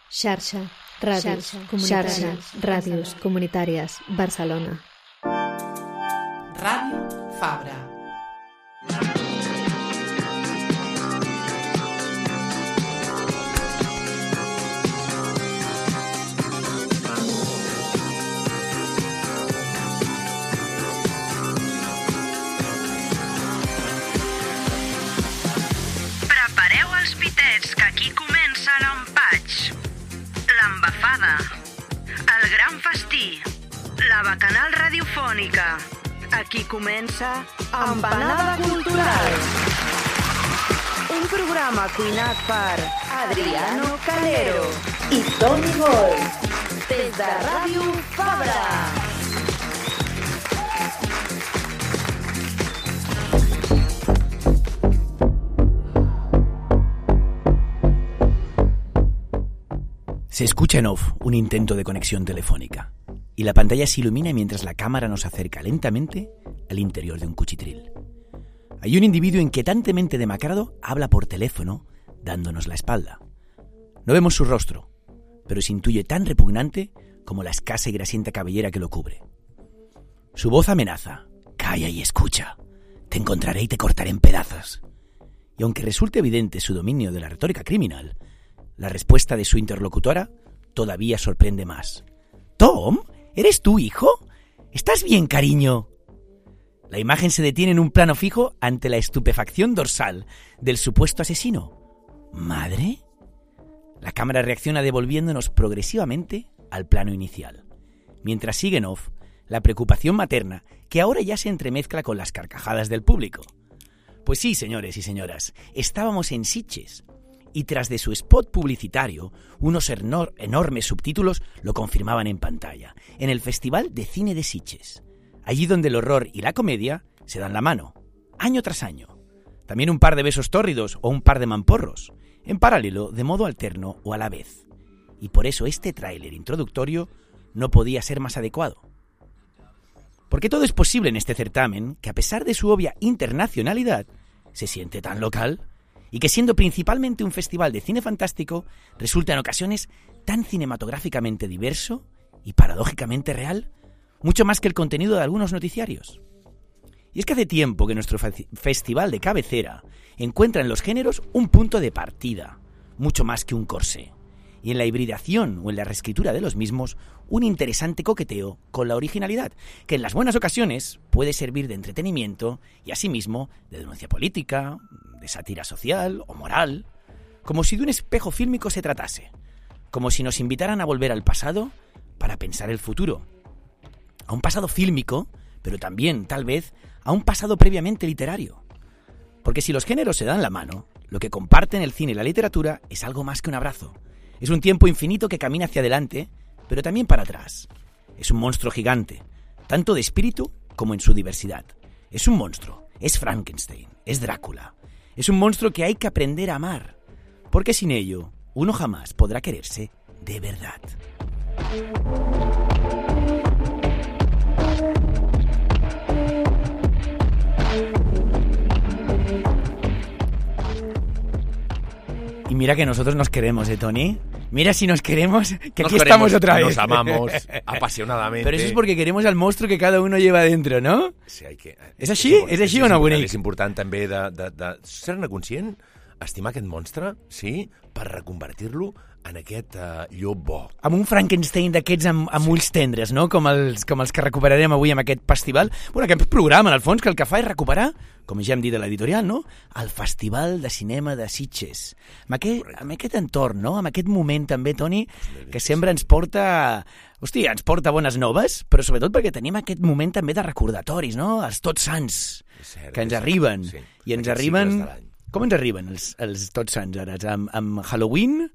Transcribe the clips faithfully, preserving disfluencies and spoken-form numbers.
Xarxa, ràdios, xarxa, ràdios comunitàries, Barcelona. Ràdio Fabra. Prepareu els pitets, que aquí comença l'empatx, l'embafada, el gran festí, la bacanal radiofònica. Aquí comença Empanada Cultural. Un programa cuinat per Adriano Calero i Toni Gol. Des de Ràdio Fabra. Se escucha en off un intento de conexión telefónica y la pantalla se ilumina mientras la cámara nos acerca lentamente al interior de un cuchitril. Hay un individuo inquietantemente demacrado habla por teléfono dándonos la espalda. No vemos su rostro, pero se intuye tan repugnante como la escasa y grasienta cabellera que lo cubre. Su voz amenaza: calla y escucha, te encontraré y te cortaré en pedazos. Y aunque resulte evidente su dominio de la retórica criminal, la respuesta de su interlocutora todavía sorprende más. «¿Tom? ¿Eres tú, hijo? ¿Estás bien, cariño?» La imagen se detiene en un plano fijo ante la estupefacción dorsal del supuesto asesino. ¿Madre? La cámara reacciona devolviéndonos progresivamente al plano inicial, mientras sigue en off la preocupación materna que ahora ya se entremezcla con las carcajadas del público. Pues sí, señores y señoras, estábamos en Sitges, y tras de su spot publicitario, unos enor- enormes subtítulos lo confirmaban en pantalla, en el Festival de Cine de Sitges, allí donde el horror y la comedia se dan la mano, año tras año. También un par de besos tórridos o un par de mamporros, en paralelo, de modo alterno o a la vez. Y por eso este tráiler introductorio no podía ser más adecuado. Porque todo es posible en este certamen que, a pesar de su obvia internacionalidad, se siente tan local, y que siendo principalmente un festival de cine fantástico, resulta en ocasiones tan cinematográficamente diverso y paradójicamente real, mucho más que el contenido de algunos noticiarios. Y es que hace tiempo que nuestro fe- festival de cabecera encuentra en los géneros un punto de partida, mucho más que un corsé, y en la hibridación o en la reescritura de los mismos, un interesante coqueteo con la originalidad, que en las buenas ocasiones puede servir de entretenimiento y asimismo de denuncia política, de sátira social o moral, como si de un espejo fílmico se tratase, como si nos invitaran a volver al pasado para pensar el futuro, a un pasado fílmico, pero también, tal vez, a un pasado previamente literario. Porque si los géneros se dan la mano, lo que comparten el cine y la literatura es algo más que un abrazo. Es un tiempo infinito que camina hacia adelante, pero también para atrás. Es un monstruo gigante, tanto de espíritu como en su diversidad. Es un monstruo, es Frankenstein, es Drácula. Es un monstruo que hay que aprender a amar, porque sin ello, uno jamás podrá quererse de verdad. Y mira que nosotros nos queremos, ¿eh, Tony? Mira si nos queremos, que nos aquí queremos, estamos otra vez. Nos amamos apasionadamente. Pero eso es porque queremos al monstruo que cada uno lleva dentro, ¿no? Sí, hay que... És així? És, és així o no, bonic? És important també de, de, de ser-ne conscient, estimar aquest monstre, sí, per reconvertir-lo en aquest uh, llop bo. Amb un Frankenstein d'aquests amb, amb sí. ulls tendres, no? Com els, com els que recuperarem avui amb aquest festival. Bueno, aquest programa, en el fons, que el que fa és recuperar, com ja hem dit a l'editorial, no? El Festival de Cinema de Sitges. Amb aquest, amb aquest entorn, no? Amb aquest moment també, Toni, que sempre ens porta... Hòstia, ens porta bones noves, però sobretot perquè tenim aquest moment també de recordatoris, no? Els Tots Sants, cert, que ens arriben. Sí. I ens arriben... Com ens arriben els, els Tots Sants ara? Amb, amb Halloween?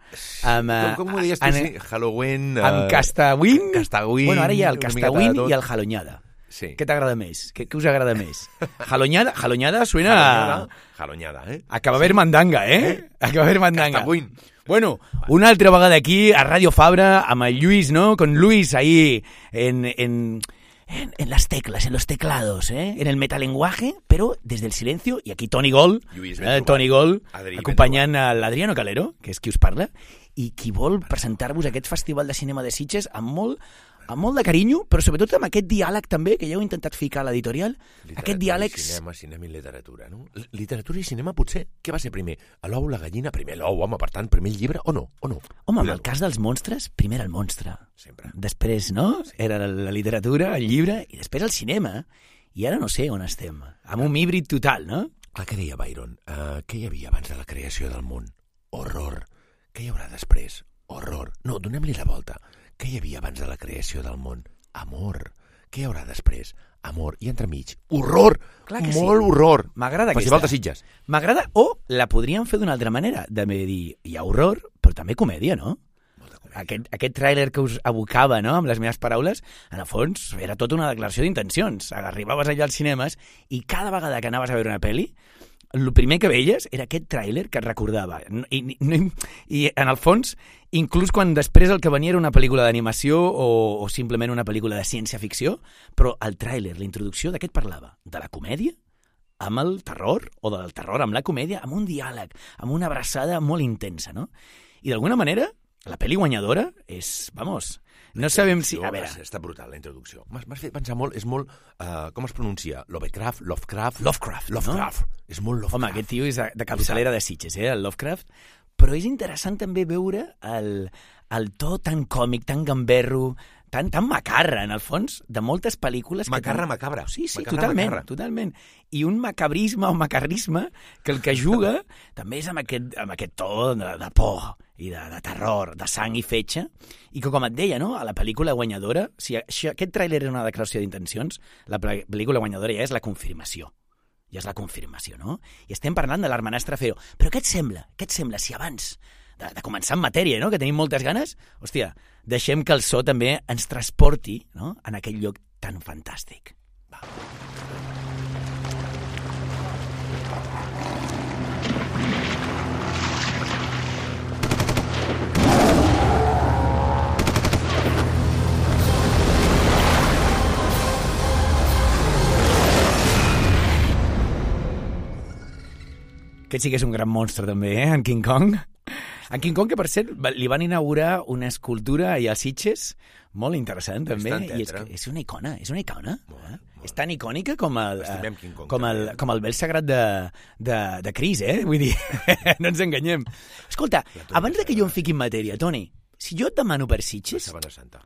Amb, com, com ho deies tu? En, sí? Halloween... Amb Castawin? Castawin... Bueno, ara hi ha el Castawin i el Hallonyada. Sí. Què t'agrada més? Què, què us agrada més? Hallonyada, Hallonyada suena... Hallonyada, Hallonyada, eh? Acaba haver mandanga, eh? eh? Acaba haver mandanga. Castawin. Bueno, una altra vegada aquí a Radio Fabra amb el Lluís, ¿no? Con Luis ahí en... en En, en las teclas, en los teclados, ¿eh? En el metalenguaje, pero desde el silencio. Y aquí Toni Gol, Lluís, eh, Toni Gol, Adri, acompanyant a l'Adriano Calero, que és qui us parla. i qui vol presentar-vos aquest Festival de Cinema de Sitges amb molt, amb molt de carinyo, però sobretot amb aquest diàleg també, que ja heu intentat ficar a l'editorial. Aquest diàleg... Cinema, cinema i literatura, no? Literatura i cinema potser, què va ser primer? L'ou, la gallina? Primer l'ou, home, per tant, primer el llibre, o no? O no? Home, en el cas dels monstres, primer era el monstre. Sempre. Després, no? Era la literatura, el llibre, i després el cinema. I ara no sé on estem. Amb un híbrid total, no? Clar, què deia Byron? Uh, què hi havia abans de la creació del món? Horror. Què hi haurà després? Horror. No, donem-li la volta. Què hi havia abans de la creació del món? Amor. Què hi haurà després? Amor. I entremig, horror! Clar que Molt sí. horror! M'agrada aquesta. Festival de Sitges. M'agrada, o la podríem fer d'una altra manera, de dir, hi ha horror, però també comèdia, no? Aquest, aquest tràiler que us abocava, no?, amb les meves paraules, en el fons era tota una declaració d'intencions. Arribaves allà als cinemes i cada vegada que anaves a veure una pel·li, el primer que veies era aquest tràiler que et recordava. I, i, I, en el fons, inclús quan després el que venia era una pel·lícula d'animació o, o simplement una pel·lícula de ciència-ficció, però el tràiler, la introducció, de què et parlava? De la comèdia? Amb el terror? O del terror amb la comèdia? Amb un diàleg, amb una abraçada molt intensa, no? I d'alguna manera, la pel·li guanyadora és, vamos... No sabem si... A veure... Està brutal, la introducció. M'has fet pensar molt, és molt... Uh, com es pronuncia? Lovecraft? Lovecraft? Lovecraft, Lovecraft. No? És molt Lovecraft. Home, aquest tio és de, de capçalera de Sitges, eh, el Lovecraft. Però és interessant també veure el, el to tan còmic, tan gamberro, tan, tan macarra, en el fons, de moltes pel·lícules... Macarra, que tan... macabra. Sí, sí, macarra, totalment, macarra. totalment. I un macabrisme o macarrisme que el que juga també és amb aquest, amb aquest to de, de por i de, de terror, de sang i fetge, i que, com et deia, no?, a la pel·lícula guanyadora, si aquest tràiler era una declaració d'intencions, la pel·lícula guanyadora ja és la confirmació. Ja és la confirmació, no? I estem parlant de l'Hermanastre Feo. Però què et sembla? Què et sembla si abans de, de començar en matèria, no?, que tenim moltes ganes, hòstia, deixem que el so també ens transporti, no?, en aquell lloc tan fantàstic. Va. Aquest sí que és un gran monstre, també, eh? En King Kong. En King Kong, que, per cert, li van inaugurar una escultura allà a Sitges, molt interessant, també. I és, que és una icona, és una icona. Molt, eh? molt. És tan icònica com el, Kong, com el, com el vel sagrat de, de, de Cris, eh? Vull dir, no ens enganyem. Escolta, abans de que jo em fiqui en matèria, Toni, si jo et demano per Sitges,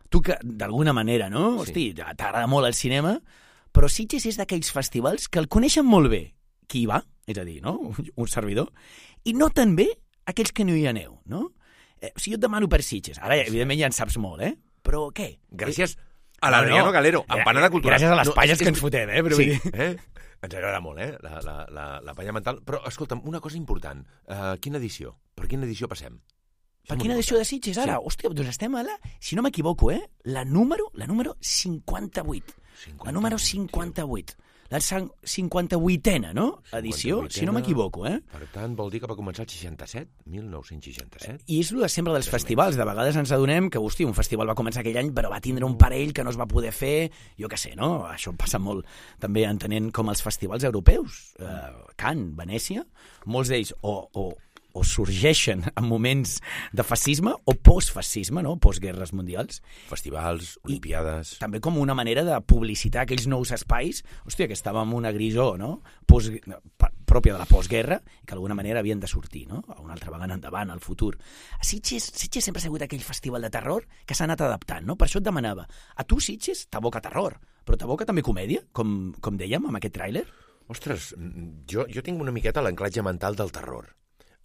tu que d'alguna manera, no? Sí. Hosti, t'agrada molt el cinema, però Sitges és d'aquells festivals que el coneixen molt bé. Qui hi va? És a dir, no? Un servidor. I no tan bé aquells que no hi aneu, no? Eh, o sigui, jo et demano per Sitges. Ara, evidentment, ja en saps molt, eh? Però què? Gràcies a l'Adriano no, no. Galero, empanada cultural. Gràcies a les no, palles és, que ens fotem, eh? Però sí, eh? Ens agrada molt, eh? La, la, la, la palla mental. Però, escolta'm, una cosa important. Uh, quina edició? Per quina edició passem? Per quina edició de Sitges, ara? Sí. Hòstia, doncs estem a la... Si no m'equivoco, eh? La número, la número cinquanta-vuit. cinquanta-vuit. La número cinquanta-vuit. La cinquanta-vuitena, no? Edició, cinquanta-vuitena, si no m'equivoco, eh? Per tant, vol dir que va començar el seixanta-set, mil nou-cents seixanta-set. I és el de sempre dels festivals. De vegades ens adonem que, hosti, un festival va començar aquell any, però va tindre un parell que no es va poder fer, jo què sé, no? Això passa molt també entenent com els festivals europeus. Eh, Cannes, Venècia, molts d'ells o, o, o sorgeixen en moments de fascisme o postfascisme, no? Postguerres mundials. Festivals, olimpiades... I també com una manera de publicitar aquells nous espais, hòstia, que estàvem en una grisó, no? Post, pròpia de la postguerra, i que d'alguna manera havien de sortir, no? Una altra vegada endavant, al futur. A Sitges, Sitges sempre ha sigut aquell festival de terror que s'ha anat adaptant, no? Per això et demanava, a tu, Sitges, t'aboca terror, però t'aboca també comèdia, com, com dèiem, amb aquest tràiler? Ostres, jo, jo tinc una miqueta l'anclatge mental del terror.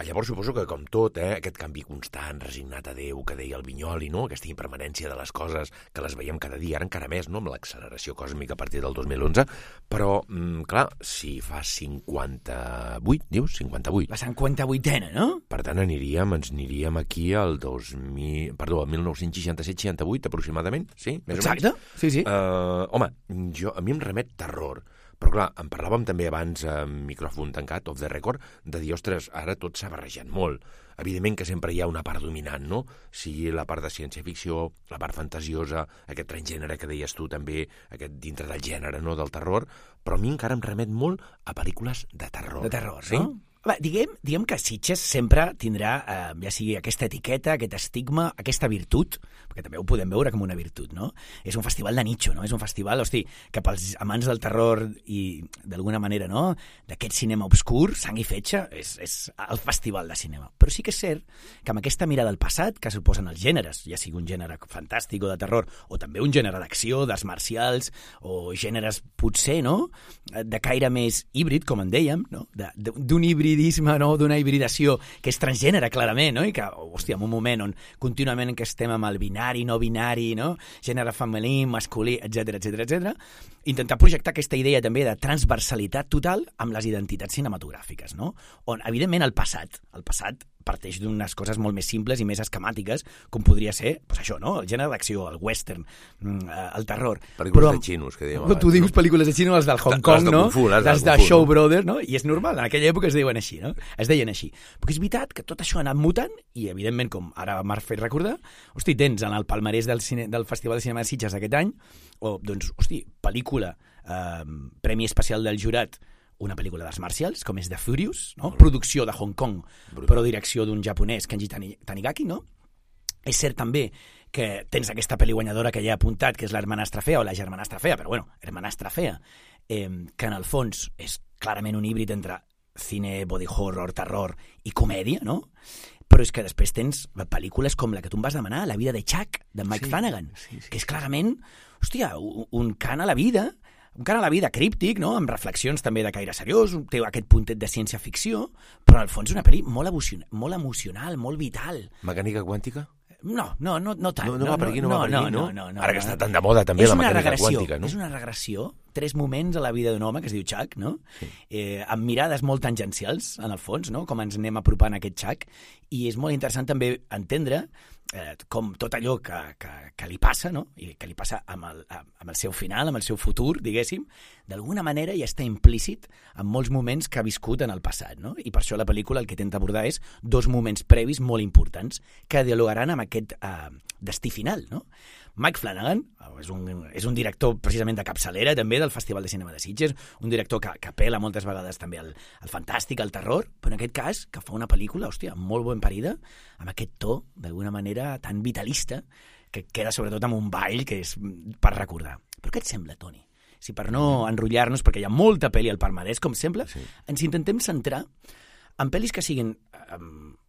Llavors suposo que, com tot, eh, aquest canvi constant, resignat a Déu, que deia el Vinyoli, no? Aquesta impermanència de les coses, que les veiem cada dia, ara encara més, no? Amb l'acceleració còsmica a partir del dos mil onze, però, mm, clar, si fa cinquanta-vuit, dius? cinquanta-vuit. La cinquanta-vuitena, no? Per tant, aniríem, ens aniríem aquí al dos mil... Perdó, al mil nou-cents seixanta-set seixanta-vuit, aproximadament, sí? Més Exacte, o menys? sí, sí. Uh, home, jo, a mi em remet terror. Però, clar, en parlàvem també abans, amb micròfon tancat, off the record, de dir, ostres, ara tot s'ha barrejat molt. Evidentment que sempre hi ha una part dominant, no? Sigui la part de ciència-ficció, la part fantasiosa, aquest transgènere que deies tu també, aquest dintre del gènere, no?, del terror, però a mi encara em remet molt a pel·lícules de terror. De terror, sí? No? Va, diguem, diguem que Sitges sempre tindrà, eh, ja sigui aquesta etiqueta, aquest estigma, aquesta virtut, perquè també ho podem veure com una virtut, no? És un festival de nicho, no? És un festival, hosti, que pels amants del terror i, d'alguna manera, no?, d'aquest cinema obscur, sang i fetge, és, és el festival de cinema. Però sí que és cert que amb aquesta mirada al passat que suposen els gèneres, ja sigui un gènere fantàstic o de terror, o també un gènere d'acció, d'arts marcials, o gèneres, potser, no?, de caire més híbrid, com en dèiem, no?, de, d'un híbrid no? D'una hibridació que és transgènere, clarament, no? I que, hòstia, en un moment on contínuament que estem amb el binari, no binari, no? Gènere femení, masculí, etcètera, etcètera, etcètera, intentar projectar aquesta idea també de transversalitat total amb les identitats cinematogràfiques, no? On, evidentment, el passat, el passat parteix d'unes coses molt més simples i més esquemàtiques, com podria ser, doncs això, no?, el gènere d'acció, el western, el terror. Pel·lícules Però, de xinos, que dèiem abans. Tu dius no? pel·lícules de xinos, les del Hong Kong, no? Fu, les, les de, de Show Brothers, no? I és normal, en aquella època es deien així, no? Es deien així. Però és veritat que tot això ha anat mutant i, evidentment, com ara m'ha fet recordar, hosti, tens en el palmarès del, cine, del Festival de Cinema de Sitges d'aquest any, o, doncs, hosti, pel·lícula, eh, Premi Especial del Jurat, una pel·lícula d'arts marcials, com és The Furious, no? Producció de Hong Kong, brutal, però direcció d'un japonès, Kenji Tanigaki, no? És cert també que tens aquesta pel·li guanyadora que ja he apuntat, que és l'Hermanastra Fea, o la Germanastra Fea, però bueno, Hermanastra Fea, eh, que en el fons és clarament un híbrid entre cine, body horror, terror i comèdia, no? Però és que després tens pel·lícules com la que tu em vas demanar, La vida de Chuck, de Mike sí, Flanagan, sí, sí. que és clarament, hòstia, un, un cant a la vida, un cant a la vida críptic, no?, amb reflexions també de caire seriós, té aquest puntet de ciència-ficció, però al fons és una pel·li molt, emocional, molt emocional, molt vital. Mecànica quàntica? No, no, no, no tant. No, no va per aquí, no, no va per aquí, no? no, no, no Ara no, que està tan de moda també la mecànica regressió, quàntica, no? És una regressió, tres moments a la vida d'un home que es diu Chuck, no? Sí. Eh, amb mirades molt tangencials, en el fons, no?, com ens anem apropant a aquest Chuck, i és molt interessant també entendre eh, com tot allò que, que, que li passa, no?, i que li passa amb el, amb el seu final, amb el seu futur, diguéssim, d'alguna manera ja està implícit en molts moments que ha viscut en el passat, no? I per això la pel·lícula el que intenta abordar és dos moments previs molt importants que dialogaran amb aquest eh, destí final, no? Mike Flanagan és un, és un director precisament de capçalera també del Festival de Cinema de Sitges, un director que, que apela moltes vegades també al, al fantàstic, al terror, però en aquest cas que fa una pel·lícula, hòstia, molt ben parida, amb aquest to, d'alguna manera, tan vitalista, que queda sobretot amb un ball que és per recordar. Però què et sembla, Toni? Si per no enrotllar-nos, perquè hi ha molta pel·li al palmarès, com sembla, sí. ens intentem centrar en pel·lis que siguin, eh,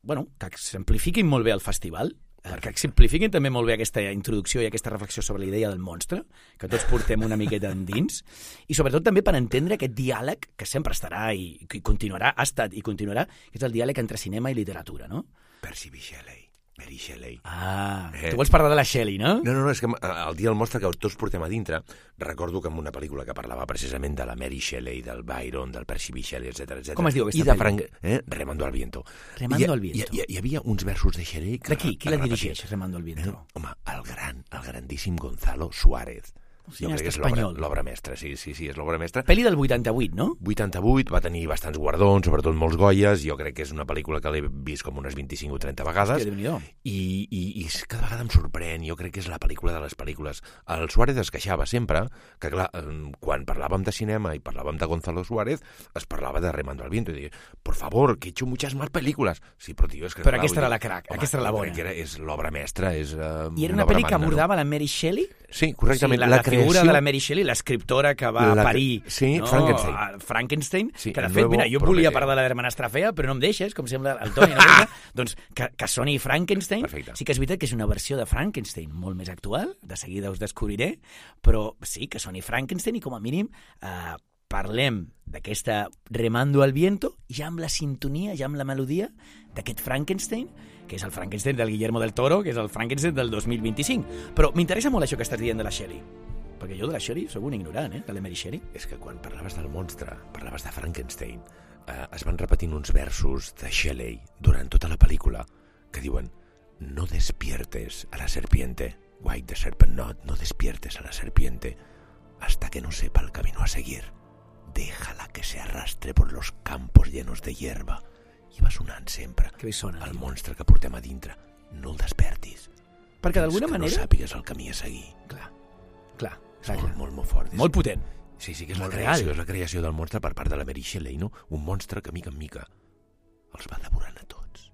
bueno, que exemplifiquin molt bé el festival, que exemplifiquin també molt bé aquesta introducció i aquesta reflexió sobre la idea del monstre, que tots portem una miqueta endins, i sobretot també per entendre aquest diàleg que sempre estarà i, i continuarà, ha estat i continuarà, que és el diàleg entre cinema i literatura, no? Percy B. Shelley. Mary Shelley. Ah, eh. tu vols parlar de la Shelley, no? No, no, no, és que el dia del monstre que tots portem a dintre, recordo que en una pel·lícula que parlava precisament de la Mary Shelley, del Byron, del Percy B. Shelley, etcètera, etcètera. Com es diu aquesta I de Frank... Eh? Remando al viento. Remando al viento. Hi, hi, hi havia uns versos de Shelley... Que de qui? Qui la dirigeix, Remando al viento? Eh? Home, el gran, el grandíssim Gonzalo Suárez. Jo crec que és l'obra mestra, sí, sí, sí, és l'obra mestra. Pel·li del vuitanta-vuit, no? vuitanta-vuit, va tenir bastants guardons, sobretot molts Goyes, jo crec que és una pel·lícula que l'he vist com unes vint-i-cinc o trenta vegades. Hòstia, Déu-n'hi-do. I, i, i cada vegada em sorprèn, jo crec que és la pel·lícula de les pel·lícules. El Suárez es queixava sempre que, clar, quan parlàvem de cinema i parlàvem de Gonzalo Suárez, es parlava de Remando al viento, i deia, por favor, que he hecho muchas más películas. Sí, però, tio, és que... Però aquesta era la crac, home, aquesta era la bona. Era, és l'obra mestra, és uh, I era una pel·li que abordava no? la Mary Shelley? Sí, correctament. Sí, la, la, la figura creació... de la Mary Shelley, l'escriptora que va la... parir sí, no? Frankenstein. Frankenstein, sí, que de fet, mira, jo volia parlar de l'Hermanastra Fea, però no em deixes, com sembla el Toni. No? doncs que, que soni Frankenstein, perfecte. Sí que és veritat que és una versió de Frankenstein molt més actual, de seguida us descobriré, però sí que soni Frankenstein i com a mínim eh, parlem d'aquesta Remando al viento ja amb la sintonia, ja amb la melodia d'aquest Frankenstein, que és el Frankenstein del Guillermo del Toro, que és el Frankenstein del dos mil vint-i-cinc. Però m'interessa molt això que estàs dient de la Shelley, perquè jo de la Shelley soc un ignorant, eh, de la Mary Shelley. És que quan parlaves del monstre, parlaves de Frankenstein, eh, es van repetint uns versos de Shelley durant tota la pel·lícula que diuen no despiertes a la serpiente, White the Serpent Not, no despiertes a la serpiente hasta que no sepa el camino a seguir. Déjala que se arrastre por los campos llenos de hierba. I va sonant sempre que sona, el monstre que portem a dintre. No el despertis. Perquè d'alguna manera... no sàpigues el camí a seguir. Clar, clar. És clar, molt, clar. molt, molt fort. És... Molt potent. Sí, sí, que és la creació, és la creació del monstre per part de la Mary Shelley, no? Un monstre que, mica en mica, els va devorant a tots.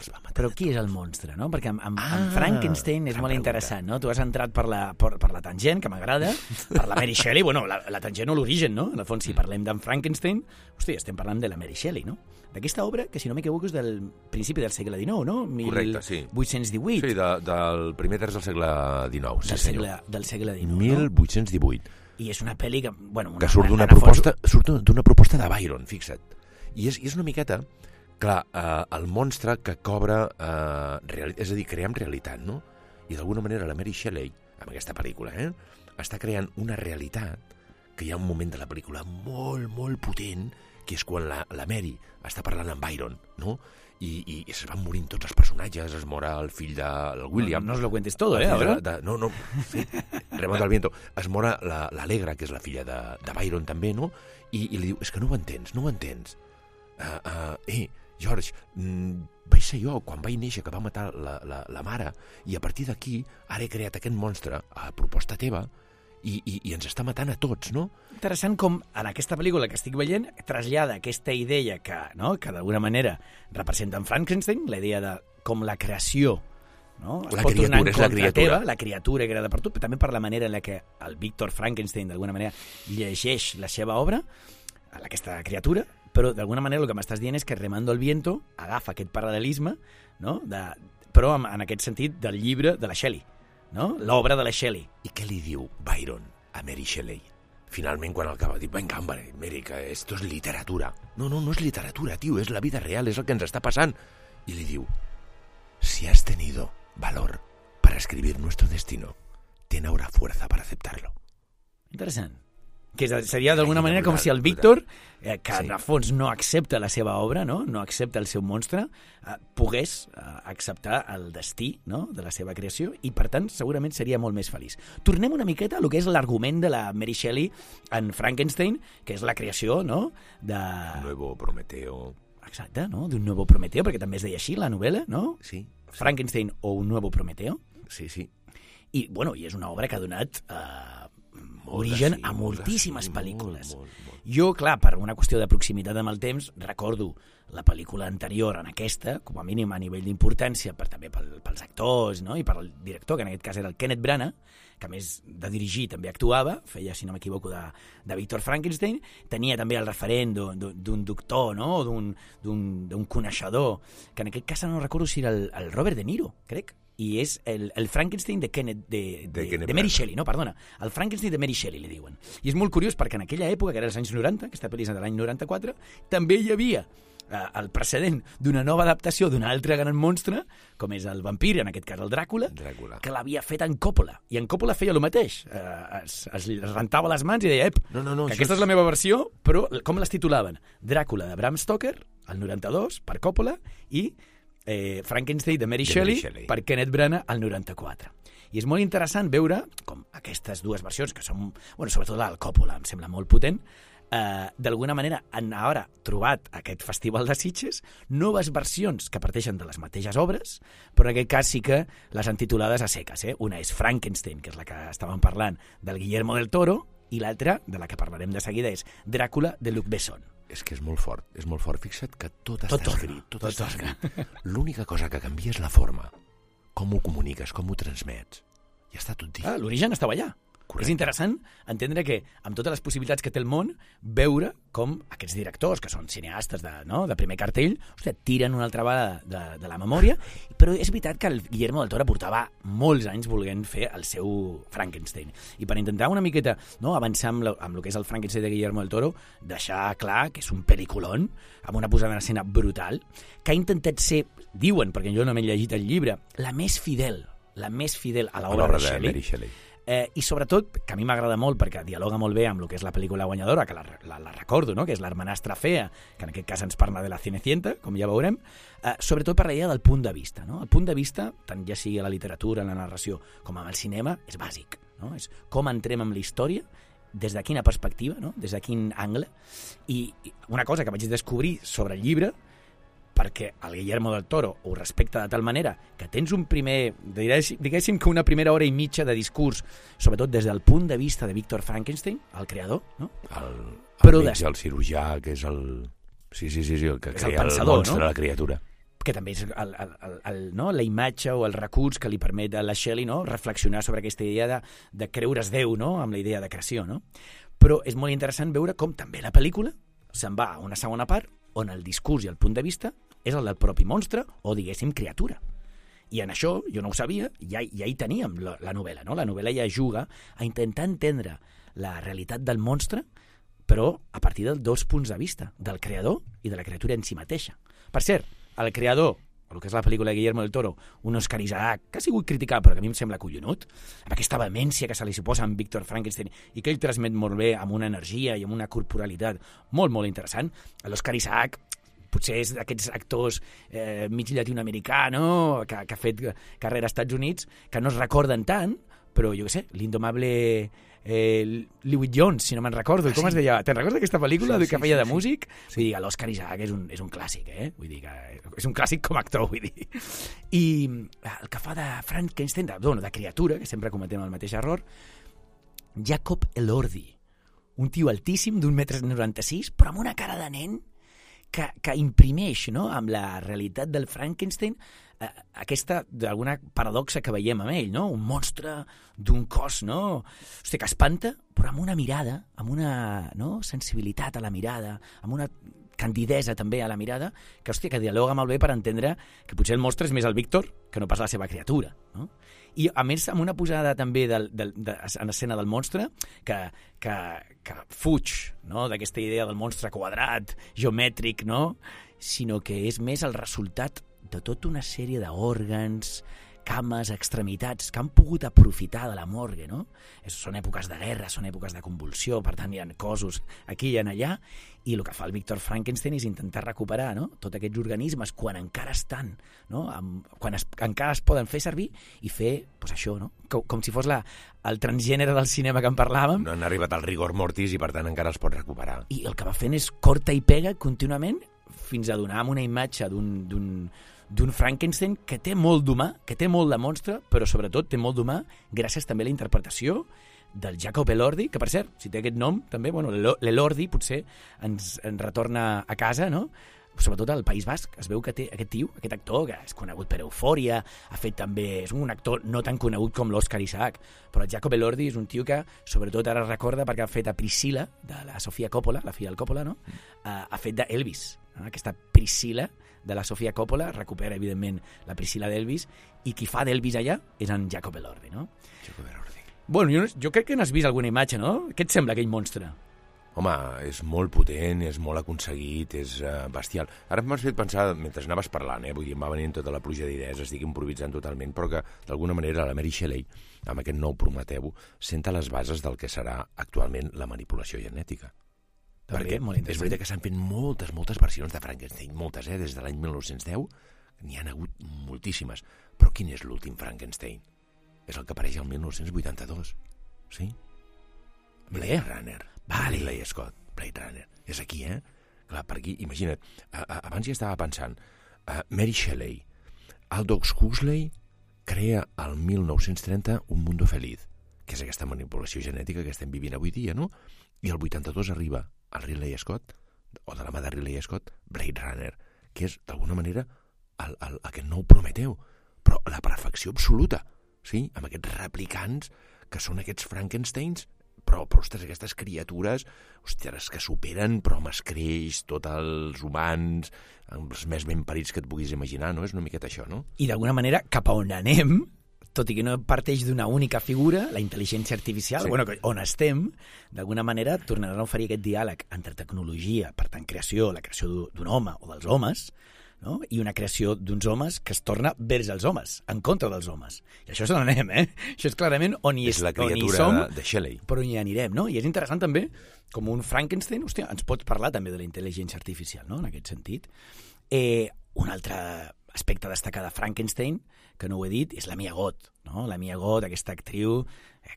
Els va matar. Però qui és el monstre, no? Perquè amb, amb, Ah, amb Frankenstein és gran molt pregunta. interessant, no? Tu has entrat per la, per, per la tangent, que m'agrada, per la Mary Shelley, bueno, la, la tangent o l'origen, no? En el fons, si parlem d'en Frankenstein, hosti, estem parlant de la Mary Shelley, no? D'aquesta obra, que si no m'equivoco és del principi del segle dinou, no? Correcte, sí. mil vuit-cents divuit. Sí, de, del primer terç del segle dinou. Sí, del, senyor. segle, del segle dinou, mil vuit-cents divuit. no? I és una pel·li que... Bueno, una, Que surt d'una en el fons- proposta, surt d'una proposta de Byron, fixa't. I és, i és una miqueta, clar, eh, el monstre que cobra, eh, reali- és a dir, creem realitat, no? I d'alguna manera la Mary Shelley, amb aquesta pel·lícula, eh, està creant una realitat que hi ha un moment de la pel·lícula molt, molt potent, que és quan la, la Mary està parlant amb Byron, no? I, i, i es van morint tots els personatges, es mora el fill del William. No, no os lo cuentes todo, El eh? fill Ahora. De, de, no, no, sí, Remonta al viento. Es mora l'Alegra, la, que és la filla de, de Byron també, no? I, i li diu, és que no ho entens, no ho entens. Uh, uh, eh, George, mm, vaig ser jo quan vaig néixer que va matar la, la, la mare i a partir d'aquí ara he creat aquest monstre a proposta teva i, i, i ens està matant a tots, no? Interessant com en aquesta pel·lícula que estic veient trasllada aquesta idea que, no, que d'alguna manera representa en Frankenstein, la idea de com la creació, no? Es La pot tornar en criatura, és la contra criatura. teva, la criatura creada per tu, però també per la manera en la que el Víctor Frankenstein d'alguna manera llegeix la seva obra, a aquesta criatura, però d'alguna manera el que m'estàs dient és que Remando el viento agafa aquest paral·lelisme, no? De, però en, en aquest sentit del llibre de la Shelley, no? L'obra de la Shelley. I què li diu Byron a Mary Shelley? Finalment, quan acaba, diu, venga, hombre, Mary, que esto es literatura. No, no, no es literatura, tio, és la vida real, és el que ens està passant. I li diu, si has tenido valor para escribir nuestro destino, ten ahora fuerza para aceptarlo. Interessant. Que seria d'alguna Brutal, manera com si el brutal. Víctor, eh, que Sí. en el fons no accepta la seva obra, no, no accepta el seu monstre, eh, pogués eh, acceptar el destí, no?, de la seva creació i, per tant, segurament seria molt més feliç. Tornem una miqueta a lo que és l'argument de la Mary Shelley en Frankenstein, que és la creació, no?, de... Nuevo Prometeo. Exacte, no?, d'un nuevo Prometeo, perquè també es deia així la novel·la, no? Sí, Frankenstein o un nuevo Prometeo. sí, sí. I, bueno, i és una obra que ha donat eh, Moltes, origen sí, a moltes, moltíssimes sí, pel·lícules. Molt, molt, molt. Jo, clar, per una qüestió de proximitat amb el temps, recordo la pel·lícula anterior en aquesta, com a mínim a nivell d'importància, per, també pel, pels actors, no?, i per el director, que en aquest cas era el Kenneth Branagh, que a més de dirigir també actuava, feia, si no m'equivoco, de, de Víctor Frankenstein, tenia també el referent d'un doctor, no?, o d'un coneixedor, que en aquest cas no recordo si era el, el Robert De Niro, crec, i és el, el Frankenstein de, Kenneth, de, de, De Kenneth de Mary Branagh. Shelley, no, perdona, el Frankenstein de Mary Shelley, li diuen. I és molt curiós perquè en aquella època, que era els anys noranta, aquesta pel·li és de l'any noranta-quatre, també hi havia eh, el precedent d'una nova adaptació d'un altre gran monstre, com és el vampir, en aquest cas el Dràcula, Dràcula. que l'havia fet en Coppola. I en Coppola feia el mateix. Eh, es, es rentava les mans i deia, ep, No, no, no, que això aquesta és la meva versió, però com les titulaven? Dràcula de Bram Stoker, el noranta-dos, per Coppola, i eh, Frankenstein de Mary De Shelley, Mary Shelley. per Kenneth Branagh, el noranta-quatre. I és molt interessant veure com aquestes dues versions, que són, bueno, sobretot la del Coppola, em sembla molt potent, eh, d'alguna manera han ara trobat aquest Festival de Sitges noves versions que parteixen de les mateixes obres, però en aquest cas sí que les han titulades a seques. Eh? Una és Frankenstein, que és la que estàvem parlant, del Guillermo del Toro, i l'altra, de la que parlarem de seguida, és Dràcula, de Luc Besson. És que és molt fort, és molt fort. Fixa't que tot, Tot està torna, escrit, tot, tot està torna. escrit. L'única cosa que canvia és la forma. Com ho comuniques, com ho transmets. Ja està tot dit. Ah, l'origen estava allà. Correcte. És interessant entendre que, amb totes les possibilitats que té el món, veure com aquests directors, que són cineastes de, no, de primer cartell, ostres, tiren una altra vegada de, de la memòria, però és veritat que el Guillermo del Toro portava molts anys volent fer el seu Frankenstein. I per intentar una miqueta, no, avançar amb, lo, amb el que és el Frankenstein de Guillermo del Toro, deixar clar que és un peliculón, amb una posada en escena brutal, que ha intentat ser, diuen, perquè jo no m'he llegit el llibre, la més fidel, la més fidel a A l'obra l'obra de de Shelley. Mary Shelley. Eh, I sobretot, que a mi m'agrada molt perquè dialoga molt bé amb el que és la pel·lícula guanyadora, que la, la, la recordo, no? Que és l'Hermanastra Fea, que en aquest cas ens parla de la Cenicienta, com ja veurem, eh, sobretot per la idea del punt de vista. No? El punt de vista, tant ja sigui a la literatura, en la narració, com en el cinema, és bàsic. No? És com entrem amb la història, des de quina perspectiva, no? Des de quin angle. I, I una cosa que vaig descobrir sobre el llibre, perquè el Guillermo del Toro ho respecta de tal manera que tens un primer, diguéssim que una primera hora i mitja de discurs, sobretot des del punt de vista de Víctor Frankenstein, el creador, no? El, el Però metge, des- el cirurgià, que és el... Sí, sí, sí, sí el que és el crea el, pensador, monstre, no? la criatura. Que també és el, el, el, el, no? la imatge o el recurs que li permet a la Shelley, no? reflexionar sobre aquesta idea de, de creure's Déu, no? amb la idea de creació. No? Però és molt interessant veure com també la pel·lícula se'n va a una segona part on el discurs i el punt de vista és el del propi monstre o, diguéssim, criatura. I en això, jo no ho sabia, ja, ja hi teníem la, la novel·la. No? La novel·la ja juga a intentar entendre la realitat del monstre, però a partir dels dos punts de vista, del creador i de la criatura en si mateixa. Per cert, el creador, el que és la pel·lícula de Guillermo del Toro, un Oscar Isaac, que ha sigut criticat, però que a mi em sembla collonut, amb aquesta vehemència que se li suposa amb Víctor Frankenstein i que ell transmet molt bé amb una energia i amb una corporalitat molt, molt interessant. L'Oscar Isaac potser és d'aquests actors eh, mig llatinoamericà, no? que, que ha fet carrera als Estats Units, que no es recorden tant, però jo què sé, l'indomable eh, Lewis Jones, si no me'n recordo, ah, com sí. es deia? Te'n recordes d'aquesta pel·lícula sí, sí, que feia sí, de músic? Sí. Vull dir que l'Òscar Isaac és un, és un clàssic, eh? Vull dir que és un clàssic com a actor, vull dir. I el que fa de Frankenstein, de, bueno, de criatura, que sempre cometem el mateix error, Jacob Elordi, un tio altíssim d'un metre noranta-sis, però amb una cara de nen que, que imprimeix, no?, amb la realitat del Frankenstein eh, aquesta, d'alguna paradoxa que veiem amb ell, no? Un monstre d'un cos, no? Hosti, que espanta, però amb una mirada, amb una, no?, sensibilitat a la mirada, amb una candidesa també a la mirada, que, hòstia, que dialoga molt bé per entendre que potser el monstre és més el Víctor que no pas la seva criatura, no? I, a més, amb una posada també del, del, de, en escena del monstre que, que, que fuig, no?, d'aquesta idea del monstre quadrat, geomètric, no?, sinó que és més el resultat de tota una sèrie d'òrgans, cames, extremitats que han pogut aprofitar de la morgue, no? Són èpoques de guerra, són èpoques de convulsió, per tant hi ha cossos aquí i allà, i el que fa el Víctor Frankenstein és intentar recuperar, no?, tots aquests organismes quan encara estan, no?, amb, quan es, encara es poden fer servir i fer, pues això, no?, com, com si fos la, el transgènere del cinema que en parlàvem. No han arribat al rigor mortis i per tant encara es pot recuperar. I el que va fent és corta i pega contínuament fins a donar una imatge d'un, d'un d'un Frankenstein que té molt d'humà, que té molt de monstre, però sobretot té molt d'humà gràcies també a la interpretació del Jacob Elordi, que per cert, si té aquest nom també, bueno, l'Elordi potser ens, ens retorna a casa, no? Sobretot al País Basc, es veu que té aquest tio, aquest actor, que és conegut per Eufòria, ha fet també, és un actor no tan conegut com l'Òscar Isaac, però el Jacob Elordi és un tio que sobretot ara recorda perquè ha fet a Priscilla, de la Sofia Coppola, la filla del Coppola, no? Mm. Uh, ha fet d'Elvis, no? Aquesta Priscilla de la Sofia Coppola, recupera evidentment la Priscilla d'Elvis, i qui fa d'Elvis allà és en Jacob Elordi, no? Jacob Elordi. Bueno, jo, jo crec que n'has vist alguna imatge, no? Què et sembla aquell monstre? Home, és molt potent, és molt aconseguit, és uh, bestial. Ara m'has fet pensar, mentre anaves parlant, eh? Vull dir, em va venint tota la pluja d'idees, estic improvisant totalment, però que d'alguna manera la Mary Shelley, amb aquest nou Prometeu, senta les bases del que serà actualment la manipulació genètica. Perquè és veritat que s'han fet moltes, moltes versions de Frankenstein, moltes, eh? Des de l'any mil nou-cents deu n'hi han hagut moltíssimes. Però quin és l'últim Frankenstein? És el que apareix al mil nou-cents vuitanta-dos, sí? Blade Runner. Vale. Ridley Scott, Blade Runner. És aquí, eh? Clar, per aquí, imagina't, a, a, abans ja estava pensant, uh, Mary Shelley, Aldous Huxley crea al mil nou-cents trenta Un Mundo Feliz, que és aquesta manipulació genètica que estem vivint avui dia, no? I el vuitanta-dos arriba el Ridley Scott, o de la mà de Ridley Scott, Blade Runner, que és, d'alguna manera, el, el, aquest nou Prometeu, però la perfecció absoluta, sí? Amb aquests replicants que són aquests Frankensteins, però, però ostres, aquestes criatures, ostres, que superen, però amb escreix, tots els humans, els més ben parits que et puguis imaginar, no? És una miqueta això, no? I d'alguna manera, cap a on anem, tot i que no parteix d'una única figura, la intel·ligència artificial, sí. Bueno, on estem, d'alguna manera tornaran a oferir aquest diàleg entre tecnologia, per tant, creació, la creació d'un home o dels homes, no? I una creació d'uns homes que es torna vers els homes, en contra dels homes. I això és on anem, eh? Això és clarament on hi, és la on hi criatura som, de Shelley. Però on hi anirem, no? I és interessant també, com un Frankenstein, hòstia, ens pots parlar també de la intel·ligència artificial, no?, en aquest sentit. Eh, un altre aspecte a destacar de Frankenstein, que no ho he dit, és la Mia Goth, no? La Mia Goth, aquesta actriu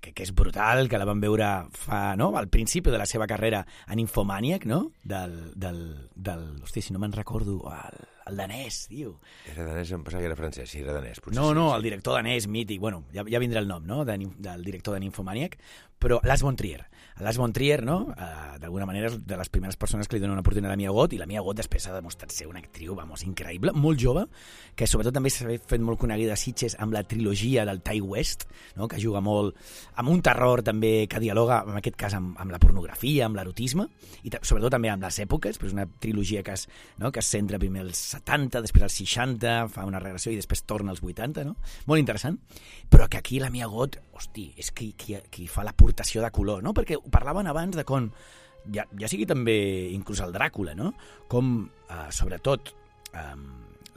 que, que és brutal, que la vam veure fa, no?, al principi de la seva carrera en Infomaniac, no?, del, del, del hosti, si no me'n recordo, el, el danès, tio. Era danès, em pensava que era francès, sí, era danès. No, sí, no, sí. El director danès mític, bueno, ja, ja vindrà el nom, no?, de, del director de Nymphomaniac, però Lars von Trier. Lars von Trier, no?, uh, d'alguna manera és de les primeres persones que li donen una oportunitat a la Mia Goth, i la Mia Goth després ha demostrat ser una actriu, vamos, increïble, molt jove, que sobretot també s'ha fet molt coneguda a Sitges amb la trilogia del Ty West, no?, que juga molt amb un terror també que dialoga, en aquest cas, amb, amb la pornografia, amb l'erotisme, i sobretot també amb les èpoques, però és una trilogia que es, no?, que es centra primer als setanta, després als seixanta, fa una regressió i després torna als vuitanta, no? Molt interessant. Però que aquí la Mia Goth, hosti, és qui, qui, qui fa l'aportació de color, no? Perquè ho parlaven abans de com, ja, ja sigui també inclús el Dràcula, no? Com, eh, sobretot, eh,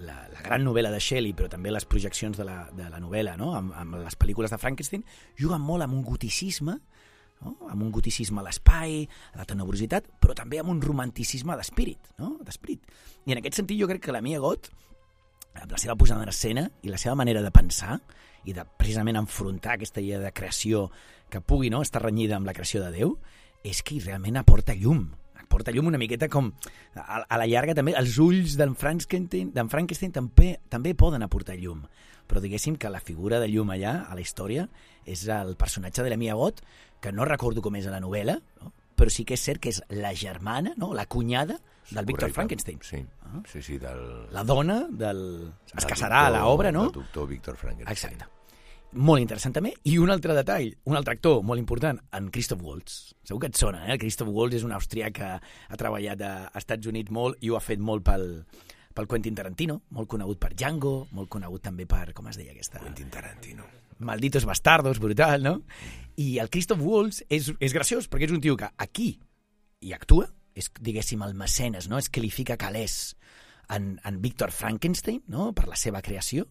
la, la gran novel·la de Shelley, però també les projeccions de la, de la novel·la, no?, amb, amb les pel·lícules de Frankenstein, juguen molt amb un goticisme, no?, amb un goticisme a l'espai, a la tenebrositat, però també amb un romanticisme d'espírit, no?, d'espírit. I en aquest sentit jo crec que la Mia Goth, amb la seva posada en escena i la seva manera de pensar i de precisament enfrontar aquesta idea de creació que pugui, no?, estar renyida amb la creació de Déu, és que realment aporta llum. Aporta llum una miqueta com, a, a la llarga també, els ulls d'en Frankenstein, d'en Frankenstein també, també poden aportar llum. Però diguéssim que la figura de llum allà, a la història, és el personatge de la Mia Goth, que no recordo com és a la novel·la, no?, però sí que és cert que és la germana, no?, la cunyada del Víctor Frankenstein. Sí, ah. sí, sí. Del... La dona del... Es casarà a l'obra, no? El doctor Víctor Frankenstein. Exacte. Molt interessant també. I un altre detall, un altre actor molt important, en Christoph Waltz. Segur que et sona, eh? El Christoph Waltz és un austrià que ha treballat a Estats Units molt i ho ha fet molt pel, pel Quentin Tarantino, molt conegut per Django, molt conegut també per, com es deia aquesta? Quentin Tarantino. Malditos bastardos, brutal, no? I el Christoph Waltz és, és graciós, perquè és un tio que aquí hi actua, és, diguéssim, el mecenes, no?, és que li fica calés en, en Víctor Frankenstein, no?, per la seva creació,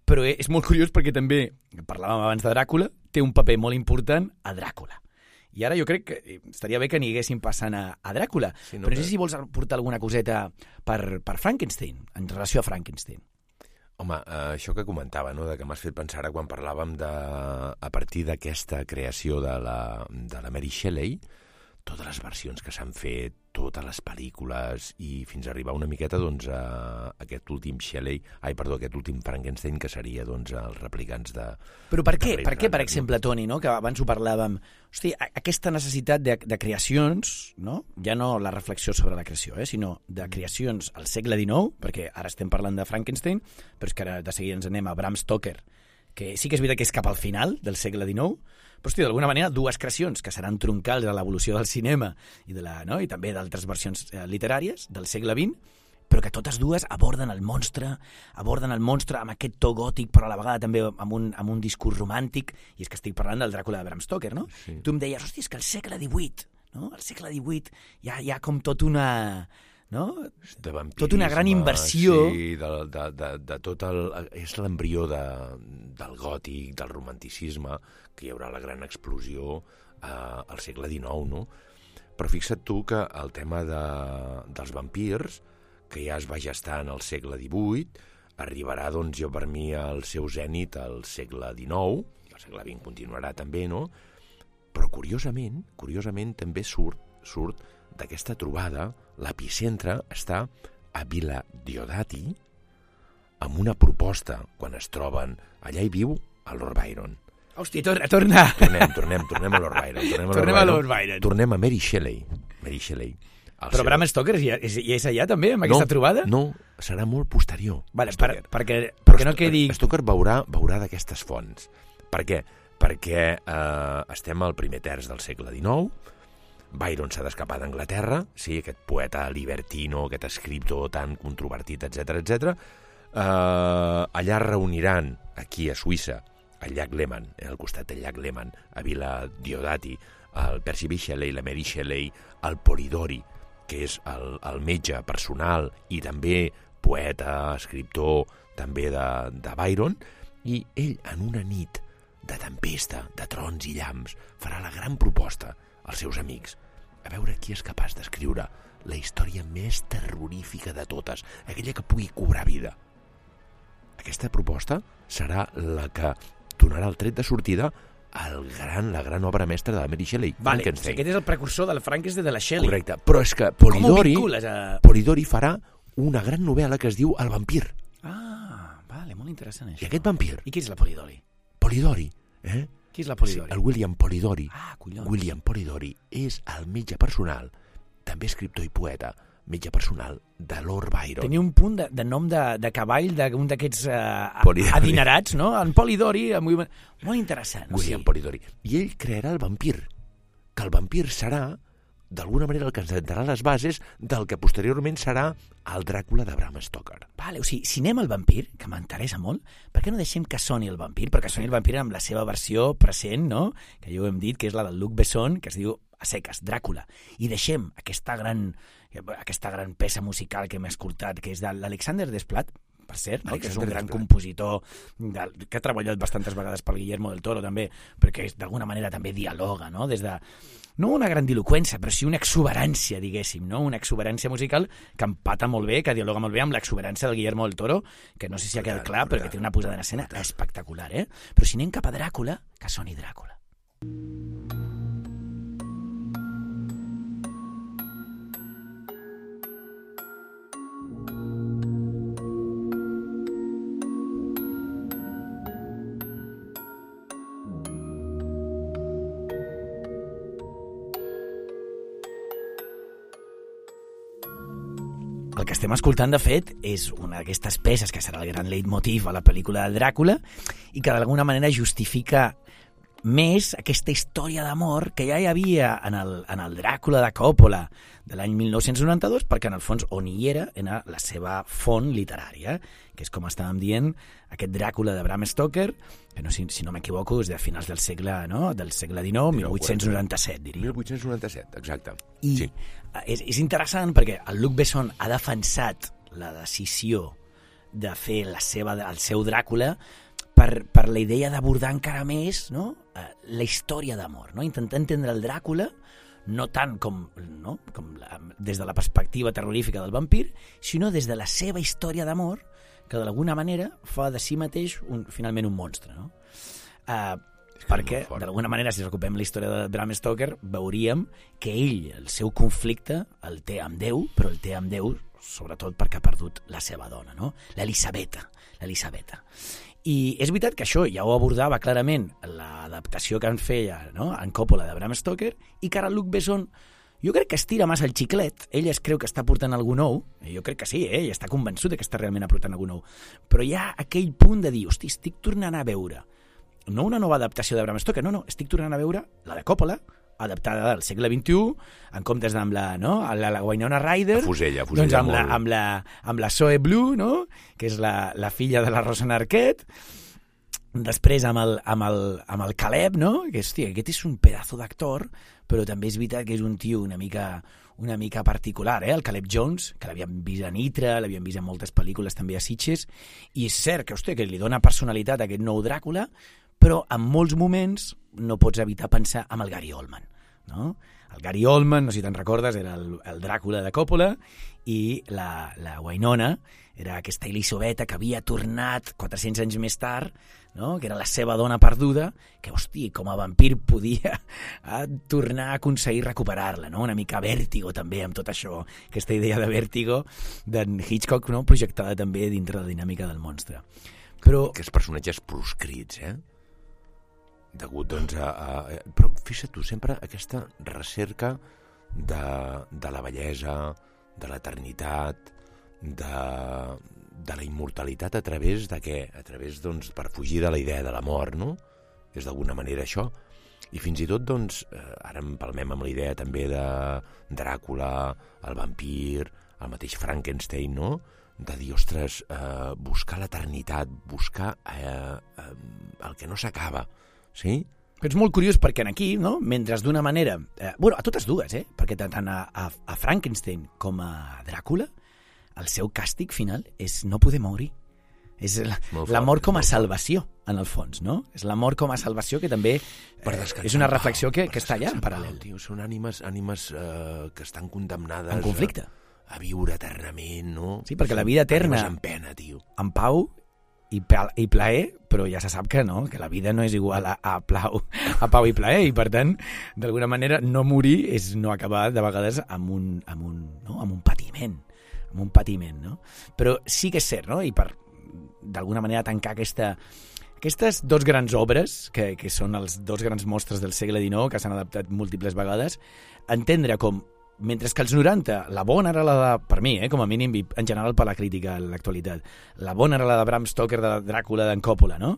però és molt curiós perquè també, parlàvem abans de Dràcula, té un paper molt important a Dràcula. I ara jo crec que estaria bé que n'hi passant a, a Dràcula, sí, no, però no sé si vols portar alguna coseta per, per Frankenstein, en relació a Frankenstein. Home, eh, això que comentava, no?, de que m'has fet pensar ara quan parlàvem de, a partir d'aquesta creació de la, de la Mary Shelley, totes les versions que s'han fet, totes les pel·lícules, i fins a arribar una miqueta, doncs, a aquest últim Shelley, ai, perdó, aquest últim Frankenstein, que seria, doncs, els replicants de... Però per què, per què, per exemple, Toni, no?, que abans ho parlàvem, hosti, aquesta necessitat de, de creacions, no?, ja no la reflexió sobre la creació, eh, sinó de creacions al segle dinou, perquè ara estem parlant de Frankenstein, però és que ara de seguida ens anem a Bram Stoker, que sí que és veritat que és cap al final del segle dinou, però, hosti, d'alguna manera, dues creacions que seran troncals a l'evolució del cinema i, de la, no? i també d'altres versions eh, literàries del segle vint, però que totes dues aborden el monstre, aborden el monstre amb aquest to gòtic, però a la vegada també amb un, amb un discurs romàntic, i és que estic parlant del Dràcula de Bram Stoker, no? Sí. Tu em deies, hosti, és que el segle divuit, no? El segle divuit hi ha, hi ha com tot una... no? De vampirisme, tota una gran inversió. Sí, de, de, de, de tot el... És l'embrió de, del gòtic, del romanticisme, que hi haurà la gran explosió eh, al segle dinou, no? Però fixa't tu que el tema de, dels vampirs, que ja es va gestar en el segle divuit, arribarà, doncs, jo per mi al seu zènit al segle dinou, i al segle vint continuarà també, no? Però curiosament, curiosament també surt, surt d'aquesta trobada, l'epicentre està a Villa Diodati amb una proposta, quan es troben, allà hi viu el Lord Byron. Hosti, torna, torna. Tornem, tornem, tornem a Lord Byron. Tornem a Lord, tornem Byron, a Lord Byron. Tornem a Mary Shelley. Mary Shelley. Però seu... Bram Stoker ja és, ja és allà també, amb aquesta no, trobada? No, serà molt posterior. Vale, per, perquè, perquè no quedi... Stoker veurà, veurà d'aquestes fonts. Per què? Perquè eh, estem al primer terç del segle dinou, Byron s'ha d'escapar d'Anglaterra, sí, aquest poeta libertino, aquest escriptor tan controvertit, etcètera, etcètera. Eh, allà reuniran, aquí a Suïssa, al llac Léman, al costat del llac Léman, a Villa Diodati, el Percy B. Shelley, la Mary Shelley, el Polidori, que és el, el metge personal i també poeta, escriptor, també de, de Byron, i ell, en una nit de tempesta, de trons i llamps, farà la gran proposta als seus amics, a veure qui és capaç d'escriure la història més terrorífica de totes, aquella que pugui cobrar vida. Aquesta proposta serà la que donarà el tret de sortida al gran, la gran obra mestra de la Mary Shelley, vale, Frankenstein. Aquest és el precursor del Frankenstein de la Shelley. Correcte, però és que Polidori, a... Polidori farà una gran novel·la que es diu El vampir. Ah, vale, molt interessant això. I aquest vampir... I qui és la Polidori? Polidori, eh? Qui és la Polidori? Sí, el William Polidori. Ah, collons. William Polidori és el metge personal, també escriptor i poeta, metge personal de Lord Byron. Tenia un punt de, de nom de, de cavall d'un d'aquests uh, Polidori. adinerats, no? En Polidori, molt, molt interessant. William Sí. Polidori. I ell crearà el vampir, que el vampir serà, d'alguna manera, el que ens sentarà les bases del que posteriorment serà el Dràcula de Bram Stoker. Vale, o sigui, si anem al vampir, que m'interessa molt, per què no deixem que soni el vampir? Perquè soni el vampir amb la seva versió present, no? Que ja ho hem dit, que és la del Luc Besson, que es diu a seques, Dràcula. I deixem aquesta gran, aquesta gran peça musical que hem escoltat, que és de l'Alexander Desplat, per cert, no? Que és un gran Desplat. compositor de, que ha treballat bastantes vegades pel Guillermo del Toro també, perquè d'alguna manera també dialoga, no? Des de, no una grandiloqüència, però sí una exuberància, diguéssim, no? Una exuberància musical que empata molt bé, que dialoga molt bé amb l'exuberància del Guillermo del Toro, que no sé si ha quedat clar, però que té una posada en escena espectacular, eh? Però si anem cap a Dràcula, que soni Dràcula. El que estem escoltant, de fet, és una d'aquestes peces que serà el gran leitmotiv a la pel·lícula de Dràcula i que d'alguna manera justifica més aquesta història d'amor que ja hi havia en el, en el Dràcula de Coppola de l'any mil nou-cents noranta-dos, perquè en el fons on hi era era la seva font literària, que és, com estàvem dient, aquest Dràcula de Bram Stoker, que no, si, si no m'equivoco és de finals del segle, no? del segle dinou, mil vuit-cents noranta-set, diria. mil vuit-cents noranta-set, exacte. I sí. és, és interessant perquè el Luc Besson ha defensat la decisió de fer la seva, el seu Dràcula per, per la idea d'abordar encara més, no? la història d'amor, no? Intentar entendre el Dràcula no tant com, no? com la, des de la perspectiva terrorífica del vampir, sinó des de la seva història d'amor, que d'alguna manera fa de si mateix un, finalment un monstre. No? Uh, perquè, d'alguna manera, si recuperem la història de Bram Stoker, veuríem que ell, el seu conflicte, el té amb Déu, però el té amb Déu sobretot perquè ha perdut la seva dona, no? l'Elisabeta. l'Elisabeta. I és veritat que això ja ho abordava clarament l'adaptació que en feia, no? en Coppola de Bram Stoker, i que ara Luc Besson jo crec que estira massa el xiclet. Ell es creu que està portant algú nou, jo crec que sí, eh? i està convençut que està realment aportant algú nou, però hi ha aquell punt de dir, hosti, estic tornant a veure no una nova adaptació de Bram Stoker, no, no, estic tornant a veure la de Coppola, adaptada del segle vint-i-u, en comptes amb la, no? la, la Winona Ryder, a fusella, a fusella doncs amb, molt... la, amb, la, amb la Zoe Blue, no? que és la, la filla de la Rosanna Arquette, després amb el, amb el, amb el Caleb, no? que hòstia, aquest és un pedazo d'actor, però també és veritat que és un tio una mica, una mica particular, eh? el Caleb Jones, que l'havíem vist a Nitra, l'havíem vist en moltes pel·lícules també a Sitges, i és cert que, hòstia, que li dona personalitat a aquest nou Dràcula, però en molts moments no pots evitar pensar en el Gary Oldman. No? El Gary Oldman, no sé si te'n recordes, era el, el Dràcula de Coppola, i la, la Winona era aquesta Elisabeta que havia tornat quatre-cents anys més tard, no? que era la seva dona perduda, que, hosti, com a vampir podia a tornar a aconseguir recuperar-la, no? una mica vèrtigo també amb tot això, aquesta idea de vèrtigo d'en Hitchcock, no? projectada també dintre la dinàmica del monstre. Però... Aquests personatges proscrits, eh? degut doncs a, a... Però fixa't tu, sempre aquesta recerca de, de la bellesa, de l'eternitat, de, de la immortalitat a través de què? A través, doncs, per fugir de la idea de la mort, no? És d'alguna manera això. I fins i tot, doncs, ara empalmem amb la idea també de Dràcula, el vampir, el mateix Frankenstein, no? De dir, ostres, eh, buscar l'eternitat, buscar eh, eh, el que no s'acaba, sí? Però és molt curiós perquè aquí, no? mentre d'una manera... Eh, bueno, a totes dues, eh? perquè tant a, a, a Frankenstein com a Dràcula, el seu càstig final és no poder morir. És la, la mort com a salvació, en el fons, no? És la mort com a salvació que també eh, és una reflexió que, que està allà en paral·lel. Tio, són ànimes, ànimes eh, que estan condemnades... En conflicte. A, a viure eternament, no? Sí, perquè la vida eterna... En pena, tio. En pau i, i plaer, però ja se sap que no, que la vida no és igual a, a, plau, a pau i plaer, i per tant, d'alguna manera, no morir és no acabar de vegades amb un, amb un, no? amb un patiment, amb un patiment, no? Però sí que és cert, no? I per, d'alguna manera, tancar aquesta... Aquestes dos grans obres, que, que són els dos grans mostres del segle dinou, que s'han adaptat múltiples vegades, entendre com, mentre que als noranta, la bona era la de, per mi, eh, com a mínim, en general per la crítica a l'actualitat, la bona era la de Bram Stoker, de Dràcula, d'en Coppola, no?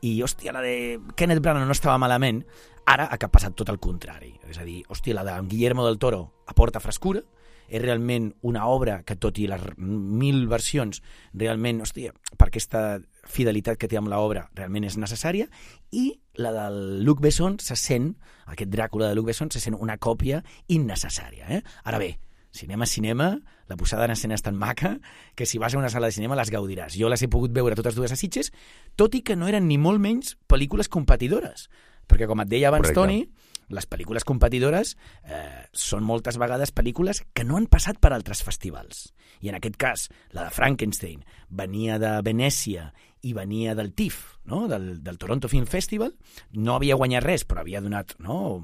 I, hòstia, la de Kenneth Branagh no estava malament, ara ha passat tot el contrari. És a dir, hòstia, la de Guillermo del Toro aporta frescura, és realment una obra que, tot i les mil versions, realment, hòstia, per aquesta fidelitat que té amb l'obra, realment és necessària, i la del Luc Besson se sent, aquest Dràcula de Luc Besson, se sent una còpia innecessària. Eh? Ara bé, cinema, cinema, la posada en escena és tan maca que si vas a una sala de cinema les gaudiràs. Jo les he pogut veure totes dues a Sitges, tot i que no eren ni molt menys pel·lícules competidores, perquè com et deia abans, correcte, Toni, les pel·lícules competidores eh, són moltes vegades pel·lícules que no han passat per altres festivals. I en aquest cas, la de Frankenstein venia de Venècia i venia del T I F, no? del, del Toronto Film Festival. No havia guanyat res, però havia donat... No?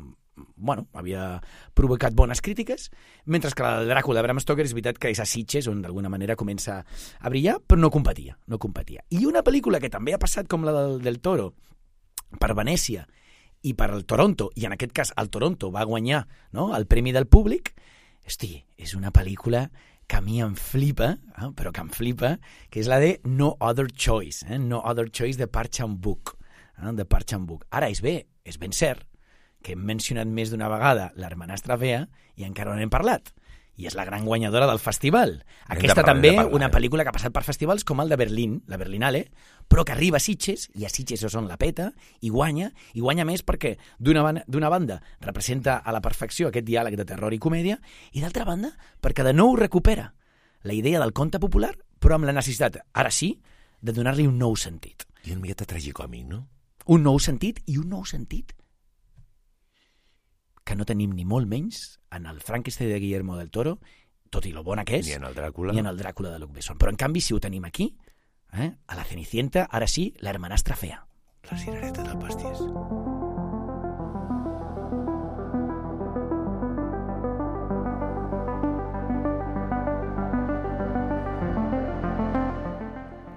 Bueno, havia provocat bones crítiques, mentre que la del Dràcula de Bram Stoker és veritat que és a Sitges, on d'alguna manera comença a brillar, però no competia, no competia. I una pel·lícula que també ha passat com la del, del Toro per Venècia i per al Toronto, i en aquest cas el Toronto va guanyar, no?, el Premi del Públic, hosti, és una pel·lícula que a mi em flipa, eh? però que em flipa, que és la de No Other Choice, eh? No Other Choice de Park Chan-wook, eh? de Park Chan-wook. Ara, és bé, és ben cert, que hem mencionat més d'una vegada l'Hermanastra Fea i encara no n'hem parlat. I és la gran guanyadora del festival. Aquesta parlar, també, parlar, una eh? pel·lícula que ha passat per festivals com el de Berlín, la Berlinale, però que arriba a Sitges, i a Sitges és on la peta, i guanya, i guanya més perquè d'una banda representa a la perfecció aquest diàleg de terror i comèdia, i d'altra banda perquè de nou recupera la idea del conte popular, però amb la necessitat, ara sí, de donar-li un nou sentit. I una miqueta tragicòmic, no? Un nou sentit, i un nou sentit que no tenim ni molt menys en el Frankenstein de Guillermo del Toro, tot i lo bona que és, ni en el Dràcula, ni en el Dràcula de Luc Besson. Però, en canvi, si ho tenim aquí, eh, a la Cenicienta, ara sí, la Hermanastra Fea. La cirereta del pastís.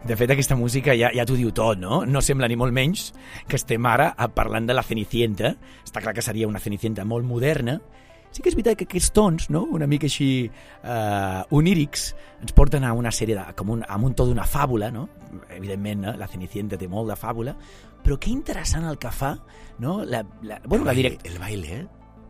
De fet, aquesta música ja, ja t'ho diu tot, no? No sembla ni molt menys que estem ara parlant de la Cenicienta. Està clar que seria una Cenicienta molt moderna. Sí que és veritat que aquests tons, no?, una mica així eh, onírics, ens porten a una sèrie de... com un, a un to d'una fàbula, no? Evidentment, no? La Cenicienta té molt de fàbula, però que interessant el que fa, no? La, la, bueno, el, la baile, direct... el baile, eh?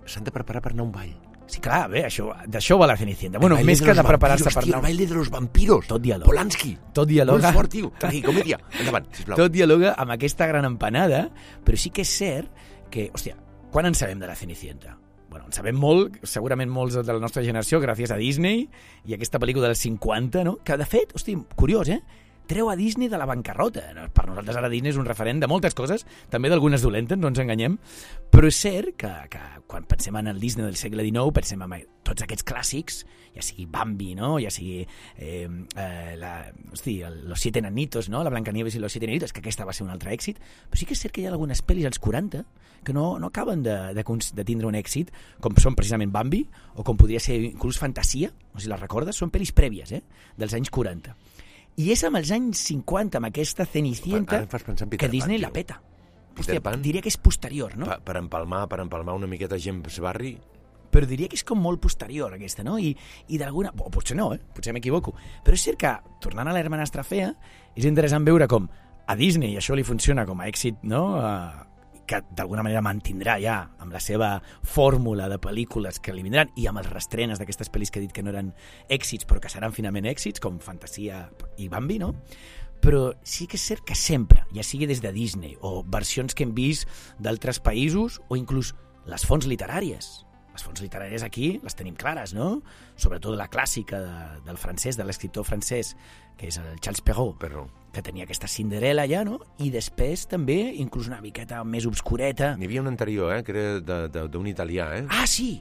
S'han de preparar per anar a un ball. Sí, clar, bé, això, d'això va la Cenicienta. Bueno, més que de preparar-se per anar... El baile de los vampiros. Tot dialoga. Polanski. Tot dialoga. Molt fort, tio. Tragicomèdia. Endavant, sisplau. Tot dialoga amb aquesta gran empanada, però sí que és cert que, hòstia, quan en sabem de la Cenicienta? Bueno, en sabem molt, segurament molts de la nostra generació, gràcies a Disney i aquesta pel·lícula dels cinquanta, no? Que, de fet, hosti, curiós, eh? Treu a Disney de la bancarrota. Per nosaltres ara Disney és un referent de moltes coses, també d'algunes dolentes, no ens enganyem, però és cert que, que quan pensem en el Disney del segle dinou, pensem en tots aquests clàssics, ja sigui Bambi, no?, ja sigui eh, eh, la, hosti, el, Los Siete Enanitos, no?, la Blancanieves i Los Siete Enanitos, que aquesta va ser un altre èxit, però sí que és cert que hi ha algunes pel·lis als quaranta que no, no acaben de, de, de tindre un èxit, com són precisament Bambi, o com podria ser inclús Fantasia, no sé si les recordes, són pel·lis prèvies, eh?, dels anys quaranta. I és amb els anys cinquanta, amb aquesta Cenicienta, que Disney la peta. Hòstia, diria que és posterior, no? Per, per empalmar, per empalmar una miqueta James Barry. Però diria que és com molt posterior, aquesta, no? I, i d'alguna... O potser no, eh? Potser m'equivoco. Però és cert que, tornant a l'Hermanastra Fea, és interessant veure com a Disney això li funciona com a èxit, no?, uh, que d'alguna manera mantindrà ja amb la seva fórmula de pel·lícules que li vindran i amb els restrenes d'aquestes pel·lis que he dit que no eren èxits però que seran finalment èxits, com Fantasia i Bambi, no? Però sí que és cert que sempre, ja sigui des de Disney o versions que hem vist d'altres països o inclús les fonts literàries. Les fonts literàries aquí les tenim clares, no? Sobretot la clàssica de, del francès, de l'escriptor francès, que és el Charles Perrault, Perrault, que tenia aquesta Cinderella ja, no? I després també, inclús una miqueta més obscureta. N'hi havia un anterior, eh? Que era d'un italià, eh? Ah, sí!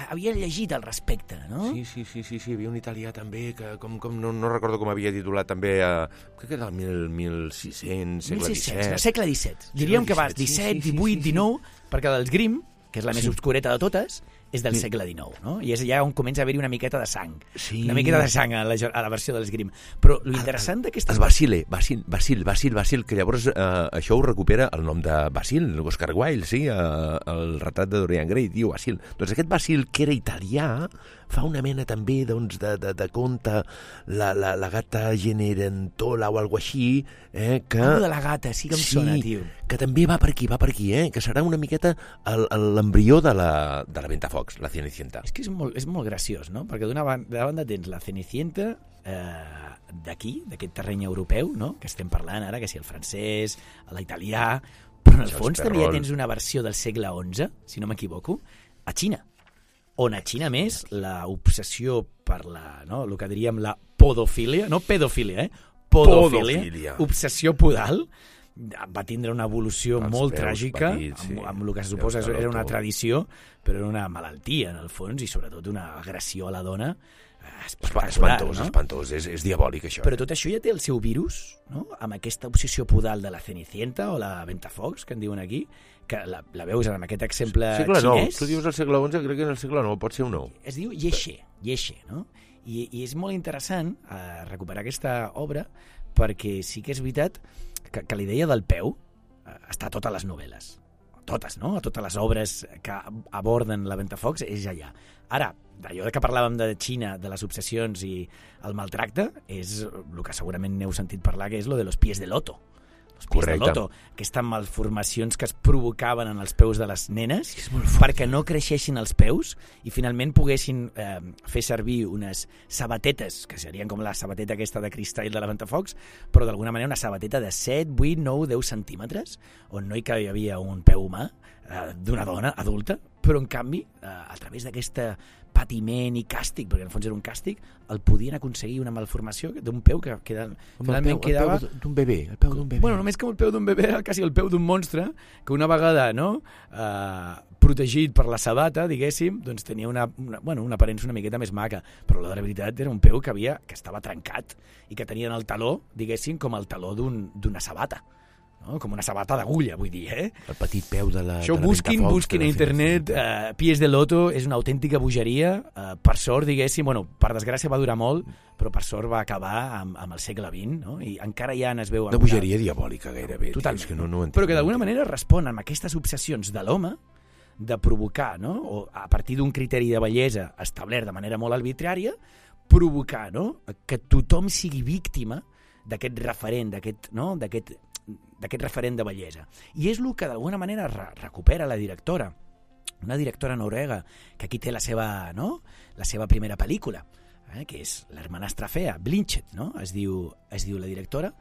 Havia llegit al respecte, no? Sí, sí, sí, sí, sí. Hi havia un italià també que com, com, no, no recordo com havia titulat també, eh, crec que era el mil sis-cents, segle disset. Segle disset. Diríem que vas disset, divuit, dinou, perquè dels Grimm, que és la més obscureta de totes, és del segle dinou, no? I és allà on comença a haver-hi una miqueta de sang. Sí. Una miqueta de sang a la, a la versió de l'Esgrim. Però l'interessant d'aquesta... El Basile, Basil, Basil, Basil, Basil, que llavors eh, això ho recupera el nom de Basil, Oscar Wilde, sí, eh, el retrat de Dorian Gray, diu Basil. Doncs aquest Basil, que era italià, fa una mena també doncs, de, de, de conte, la, la, la gata Cenerentola o alguna així, eh, que... Oh, de la gata, sí que em sí, sona, tio. Que també va per aquí, va per aquí, eh, que serà una miqueta l'embrió de la, de la Ventafocs, la Cenicienta. És que és molt, és molt graciós, no? Perquè d'una banda, banda tens la Cenicienta eh, d'aquí, d'aquest terreny europeu, no? Que estem parlant ara, que si el francès, l'italià, però en el fons també ja tens una versió del segle onze, si no m'equivoco, a Xina, on a Xina més l'obsessió per la, no? El que diríem la podofília, no pedofília, eh? Podofília, podofília. Obsessió podal, va tindre una evolució els molt tràgica, petits, sí. amb, amb el que se suposa era una tradició, però era una malaltia, en el fons, i sobretot una agressió a la dona espectacular. Espantós, no? espantós, és, és diabòlic, això. Però tot això ja té el seu virus, no? Amb aquesta obsessió podal de la Cenicienta o la Ventafocs, que en diuen aquí, que la, la veus en aquest exemple segle xinès. nou. Tu dius el segle onze, crec que en el segle nou, pot ser un nou. Es diu Yeshe, Yeshe, no? I, i és molt interessant eh, recuperar aquesta obra perquè sí que és veritat que, que la idea del peu eh, està a totes les novel·les. Totes, no? A totes les obres que aborden la Ventafocs és allà. Ara, d'allò que parlàvem de Xina, de les obsessions i el maltracte, és el que segurament n'heu sentit parlar, que és lo de los pies de loto. Els pies Correcte. de loto, aquestes malformacions que es provocaven en els peus de les nenes perquè no creixessin els peus i finalment poguessin eh, fer servir unes sabatetes, que serien com la sabateta aquesta de cristall de la Ventafocs, però d'alguna manera una sabateta de set, vuit, nou, deu centímetres, on no hi havia un peu humà eh, d'una dona adulta, però en canvi, eh, a través d'aquesta patiment i càstig, perquè en el fons era un càstig, el podien aconseguir una malformació d'un peu que, que finalment peu, quedava... El peu d'un bebè, el peu d'un bebè. Bueno, només que el peu d'un bebè era quasi el peu d'un monstre, que una vegada, no?, eh, protegit per la sabata, diguéssim, doncs tenia una, una, bueno, una aparença una miqueta més maca, però la de la veritat era un peu que havia que estava trencat i que tenien el taló, diguéssim, com el taló d'un, d'una sabata. No? Com una sabata d'agulla, vull dir, eh? El petit peu de la... Això de la busquin, Ventafocs, busquin a internet, eh, pies de loto, és una autèntica bogeria, eh, per sort, diguéssim, bueno, per desgràcia va durar molt, però per sort va acabar amb, amb el segle vint, no? I encara ja es veu... Una bogeria diabòlica, gairebé. Totalment, que no, no però que d'alguna manera respon amb aquestes obsessions de l'home de provocar, no? O a partir d'un criteri de bellesa establert de manera molt arbitrària, provocar, no?, que tothom sigui víctima d'aquest referent, d'aquest, no?, d'aquest d'aquest referent de bellesa. I és el que d'alguna manera re recupera la directora, una directora noruega que aquí té la seva, no?, la seva primera pel·lícula, eh, que és l'hermanastra fea, Blinchet, no?, es diu, es diu la directora,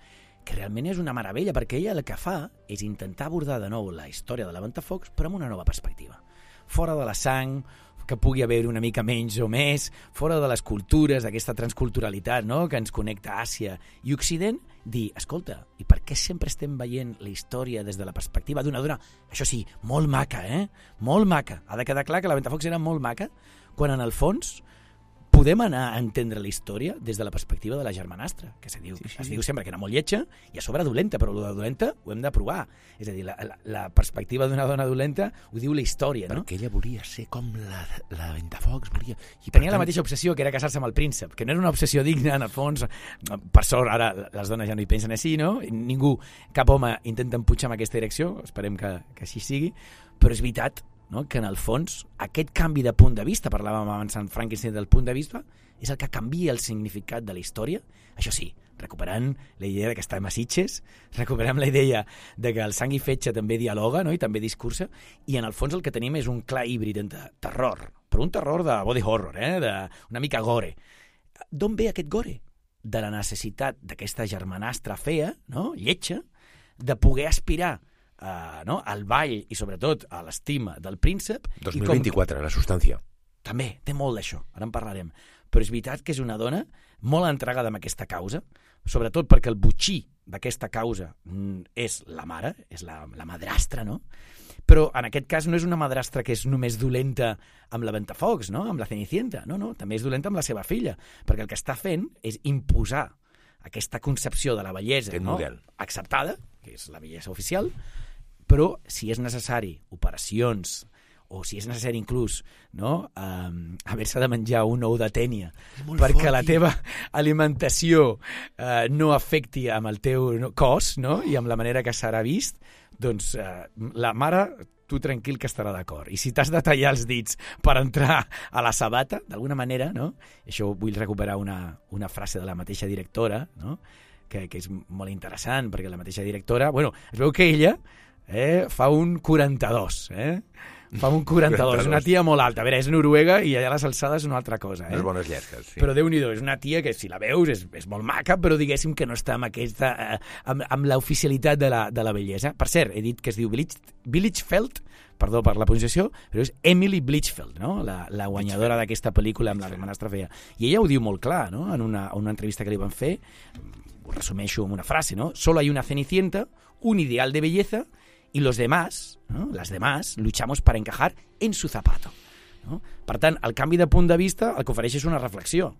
que realment és una meravella, perquè ella el que fa és intentar abordar de nou la història de la Ventafocs, però amb una nova perspectiva. Fora de la sang, que pugui haver una mica menys o més, fora de les cultures, d'aquesta transculturalitat, no?, que ens connecta Àsia i Occident, dir, escolta, i per què sempre estem veient la història des de la perspectiva d'una dona, això sí, molt maca, eh? Molt maca. Ha de quedar clar que la Ventafocs era molt maca, quan en el fons podem anar a entendre la història des de la perspectiva de la germanastra, que se diu, sí, sí, es diu sempre que era molt lletja i a sobre dolenta, però el de dolenta ho hem de provar. És a dir, la, la, la perspectiva d'una dona dolenta ho diu la història, no? Perquè ella volia ser com la, la Ventafocs, volia... I tenia tant... la mateixa obsessió, que era casar-se amb el príncep, que no era una obsessió digna, en el fons. Per sort, ara les dones ja no hi pensen així, no? Ningú, cap home intenta empujar en aquesta direcció, esperem que, que així sigui, però és veritat, no?, que en el fons aquest canvi de punt de vista, parlàvem abans en Frankenstein del punt de vista, és el que canvia el significat de la història. Això sí, recuperant la idea de que estem a Sitges, recuperem la idea de que el sang i fetge també dialoga, no?, i també discursa, i en el fons el que tenim és un clar híbrid entre terror, però un terror de body horror, eh?, de una mica gore. D'on ve aquest gore? De la necessitat d'aquesta germanastra fea, no?, lletja, de poder aspirar Uh, no? al ball i sobretot a l'estima del príncep. dos mil vint-i-quatre, la substància. També, té molt d'això, ara en parlarem. Però és veritat que és una dona molt entregada amb aquesta causa, sobretot perquè el botxí d'aquesta causa és la mare, és la, la madrastra, no? Però en aquest cas no és una madrastra que és només dolenta amb la Ventafocs, no?, amb la Cenicienta, no, no, també és dolenta amb la seva filla, perquè el que està fent és imposar aquesta concepció de la bellesa, no?, acceptada, que és la bellesa oficial, però si és necessari operacions o si és necessari inclús, no? Um, haver-se de menjar un ou de tènia perquè fort, la teva alimentació uh, no afecti amb el teu cos, no? I amb la manera que serà vist, doncs uh, la mare, tu tranquil que estarà d'acord. I si t'has de tallar els dits per entrar a la sabata, d'alguna manera, no? Això vull recuperar una, una frase de la mateixa directora, no? que, que és molt interessant, perquè la mateixa directora, bueno, es veu que ella eh, fa un quaranta-dos, eh? Fa un quaranta-dos, és una tia molt alta. A veure, és Noruega i allà les alçades és una altra cosa. Eh? Les bones llesques, sí. Però Déu-n'hi-do, és una tia que si la veus és, és molt maca, però diguéssim que no està amb aquesta, eh, amb, amb l'oficialitat de la, de la bellesa. Per cert, he dit que es diu Blichfeld, perdó per la pronunciació, però és Emily Blichfeld, no? la, la guanyadora d'aquesta pel·lícula amb la hermanastra fea. I ella ho diu molt clar, no? En una, una entrevista que li van fer, ho resumeixo amb una frase, no? Solo hay una cenicienta, un ideal de belleza, y los demás, ¿no? Las demás, luchamos para encajar en su zapato. No? Per tant, el canvi de punt de vista el que ofereix és una reflexió.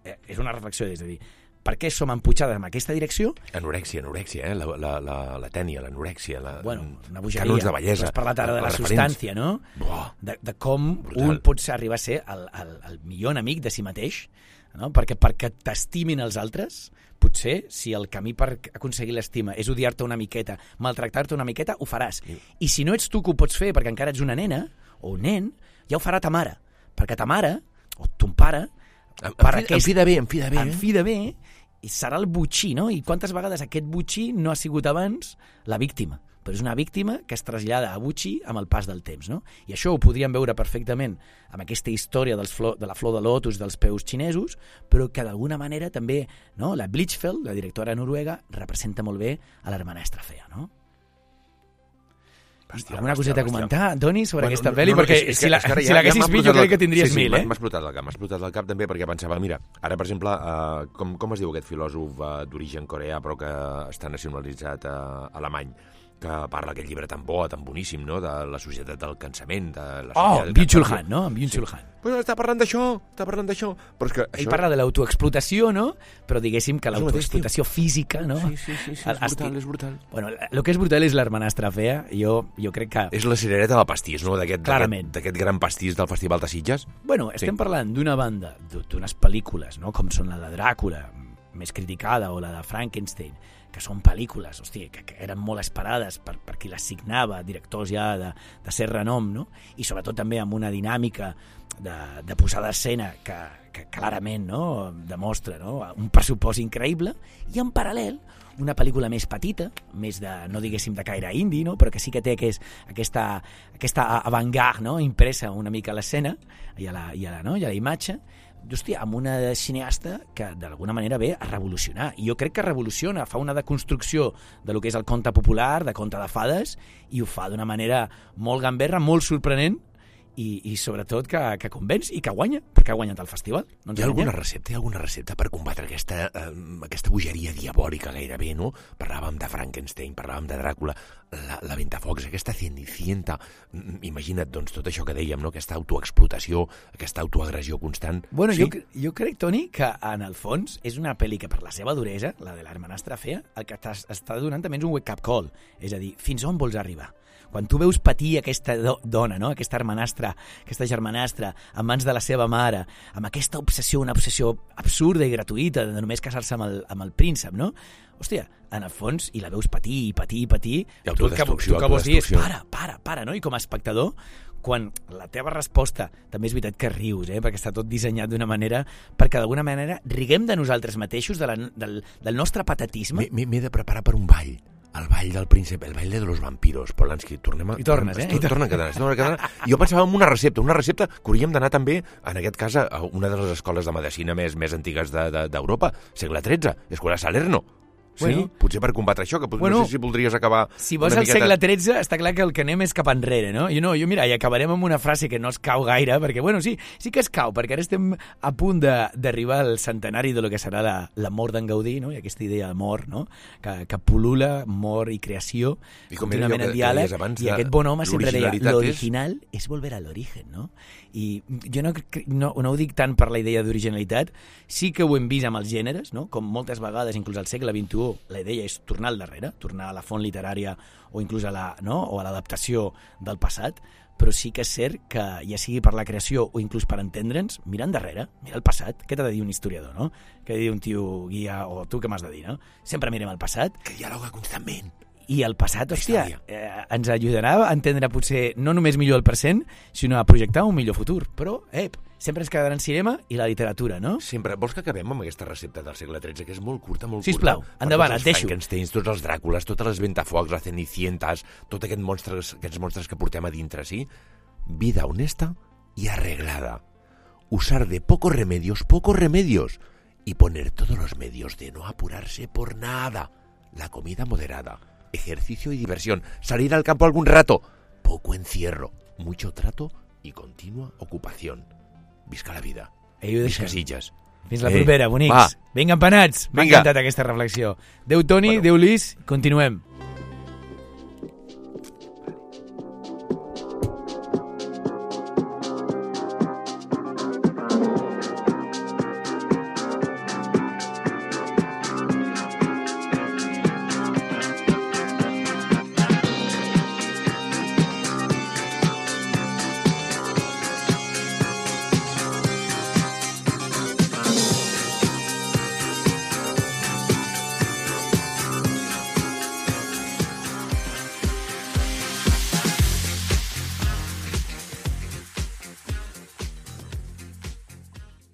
Eh, és una reflexió, és a dir, per què som emputxades en aquesta direcció? Anorèxia, anorèxia, eh? La, la, la, la tènia, l'anorèxia, la... Bueno, una bogeria. Canons de bellesa. Has parlat ara de la, la substància, no? Buah. De, de com Brutal. Un pot arribar a ser el, el, el millor enemic de si mateix, no? Perquè perquè t'estimin els altres, potser, si el camí per aconseguir l'estima és odiar-te una miqueta, maltractar-te una miqueta, ho faràs. Sí. I si no ets tu que ho pots fer perquè encara ets una nena o un nen, ja ho farà ta mare. Perquè ta mare, o ton pare... En, en, fi, aquest, en fi de bé, en fi de bé. En fi de bé, i serà el botxí, no? I quantes vegades aquest botxí no ha sigut abans la víctima? Però és una víctima que es trasllada a botxí amb el pas del temps, no? I això ho podríem veure perfectament amb aquesta història dels flor, de la flor de lotus dels peus xinesos, però que d'alguna manera també, no? La Blichfeld, la directora noruega, representa molt bé a l'hermanastra fea, no? Hòstia, alguna coseta a comentar, Toni, sobre bueno, aquesta no, pel·li? No, no, perquè és, si l'haguessis vist jo crec que tindries sí, sí, mil, eh? M'ha explotat el cap, m'ha explotat el cap també perquè pensava, mira, ara per exemple, uh, com, com es diu aquest filòsof uh, d'origen coreà però que està nacionalitzat uh, alemany, que parla aquest llibre tan bo, tan boníssim, no?, de la societat del cansament, de la oh, Byung-Chul Han, no? En Byung-Chul Han. Sí. Pues està parlant d'això, està parlant d'això. Però és que ell això... parla de l'autoexplotació, no? Però diguéssim que l'autoexplotació física, no? Sí, sí, sí, sí, és brutal, és brutal. Bueno, el que és brutal és l'hermanastra fea. Jo, jo crec que... És la cirereta del pastís, no?, d'aquest gran pastís del Festival de Sitges. Bueno, estem sí. parlant d'una banda, d'unes pel·lícules, no?, com són la de Dràcula, més criticada, o la de Frankenstein, que són pel·lícules, hòstia, que, que eren molt esperades per, per qui les signava, directors ja de, de cert renom, no? I sobretot també amb una dinàmica de, de posada d'escena que, que clarament, no?, demostra, no?, un pressupost increïble, i en paral·lel una pel·lícula més petita, més de, no diguéssim de caire indi, no?, però que sí que té aquest, aquesta, aquesta avant-garde, no?, impressa una mica a l'escena i a la, i a la, no?, i a la imatge, hòstia, amb una cineasta que d'alguna manera ve a revolucionar. I jo crec que revoluciona, fa una deconstrucció de lo que és el conte popular, de conte de fades, i ho fa d'una manera molt gamberra, molt sorprenent, i, i sobretot que, que convenç i que guanya, perquè ha guanyat el festival. No hi ha alguna recepta, hi ha alguna recepta per combatre aquesta, eh, aquesta bogeria diabòlica gairebé, no? Parlàvem de Frankenstein, parlàvem de Dràcula, la, la Ventafocs, aquesta Cenicienta, imagina't, doncs, tot això que dèiem, no?, aquesta autoexplotació, aquesta autoagressió constant. Bueno, sí? jo, jo crec, Toni, que en el fons és una pel·li que per la seva duresa, la de l'hermanastra fea, el que està donant també és un wake-up call, és a dir, fins on vols arribar? Quan tu veus patir aquesta do dona, no?, aquesta hermanastra, aquesta germanastra, en mans de la seva mare, amb aquesta obsessió, una obsessió absurda i gratuïta de només casar-se amb, el, amb el príncep, no? Hòstia, en el fons, i la veus patir, i patir, i patir, I tu el que, tu que vols dir és para, para, para, no? I com a espectador, quan la teva resposta, també és veritat que rius, eh? Perquè està tot dissenyat d'una manera, perquè d'alguna manera riguem de nosaltres mateixos, de la, del, del nostre patatisme. M'he de preparar per un ball. El ball del príncep, el ball de los vampiros. Polanski, tornem a... I tornes, eh? I torna a quedar, torna a quedar. Jo pensava en una recepta, una recepta que hauríem d'anar també, en aquest cas, a una de les escoles de medicina més, més antigues d'Europa, de, de, segle tretze, Escola Salerno. Sí, bueno, potser per combatre això, que bueno, no sé si voldries acabar... Si vols al miqueta... segle tretze, està clar que el que anem és cap enrere, no? Jo, no, jo mira, i acabarem amb una frase que no es cau gaire, perquè, bueno, sí, sí que es cau, perquè ara estem a punt d'arribar al centenari de lo que serà la, la mort d'en Gaudí, no? I aquesta idea de mort, no?, que, que pul·lula, mort i creació, I contínuament en diàleg, i aquest bon home sempre deia, l'original és... és volver a l'origen, no? I jo no, no, no ho dic tant per la idea d'originalitat, sí que ho hem vist amb els gèneres, no?, com moltes vegades, inclús al segle vint-i-u, tu, la idea és tornar al darrere, tornar a la font literària o inclús a la, no? o a l'adaptació del passat, però sí que és cert que, ja sigui per la creació o inclús per entendre'ns, mirar endarrere, mirar el passat. Què t'ha de dir un historiador, no? Què ha de dir un tio guia, o tu què m'has de dir, no? Sempre mirem el passat. Que dialoga constantment. I el passat, hòstia, eh, ens ajudarà a entendre potser no només millor el present, sinó a projectar un millor futur. Però, eh, sempre ens quedarà en cinema i la literatura, no? Sempre. Vols que acabem amb aquesta recepta del segle tretze, que és molt curta, molt Sisplau, curta? Sisplau, endavant, et et deixo. Frankensteins, tots els Dràcules, totes les Ventafocs, les Cenicientas, tots aquests monstres, aquests monstres que portem a dintre, sí? Vida honesta y arreglada. Usar de pocos remedios, pocos remedios. Y poner todos los medios de no apurarse por nada. La comida moderada. Ejercicio y diversión. Salir al campo algún rato. Poco encierro. Mucho trato y continua ocupación. Visca la vida. Ei, Visca Sitges. Fins la Ei, propera, bonics. va. Vinga, empanats. M'ha Vinga. encantat aquesta reflexió. Déu Toni, Bueno. Déu Lis, continuem.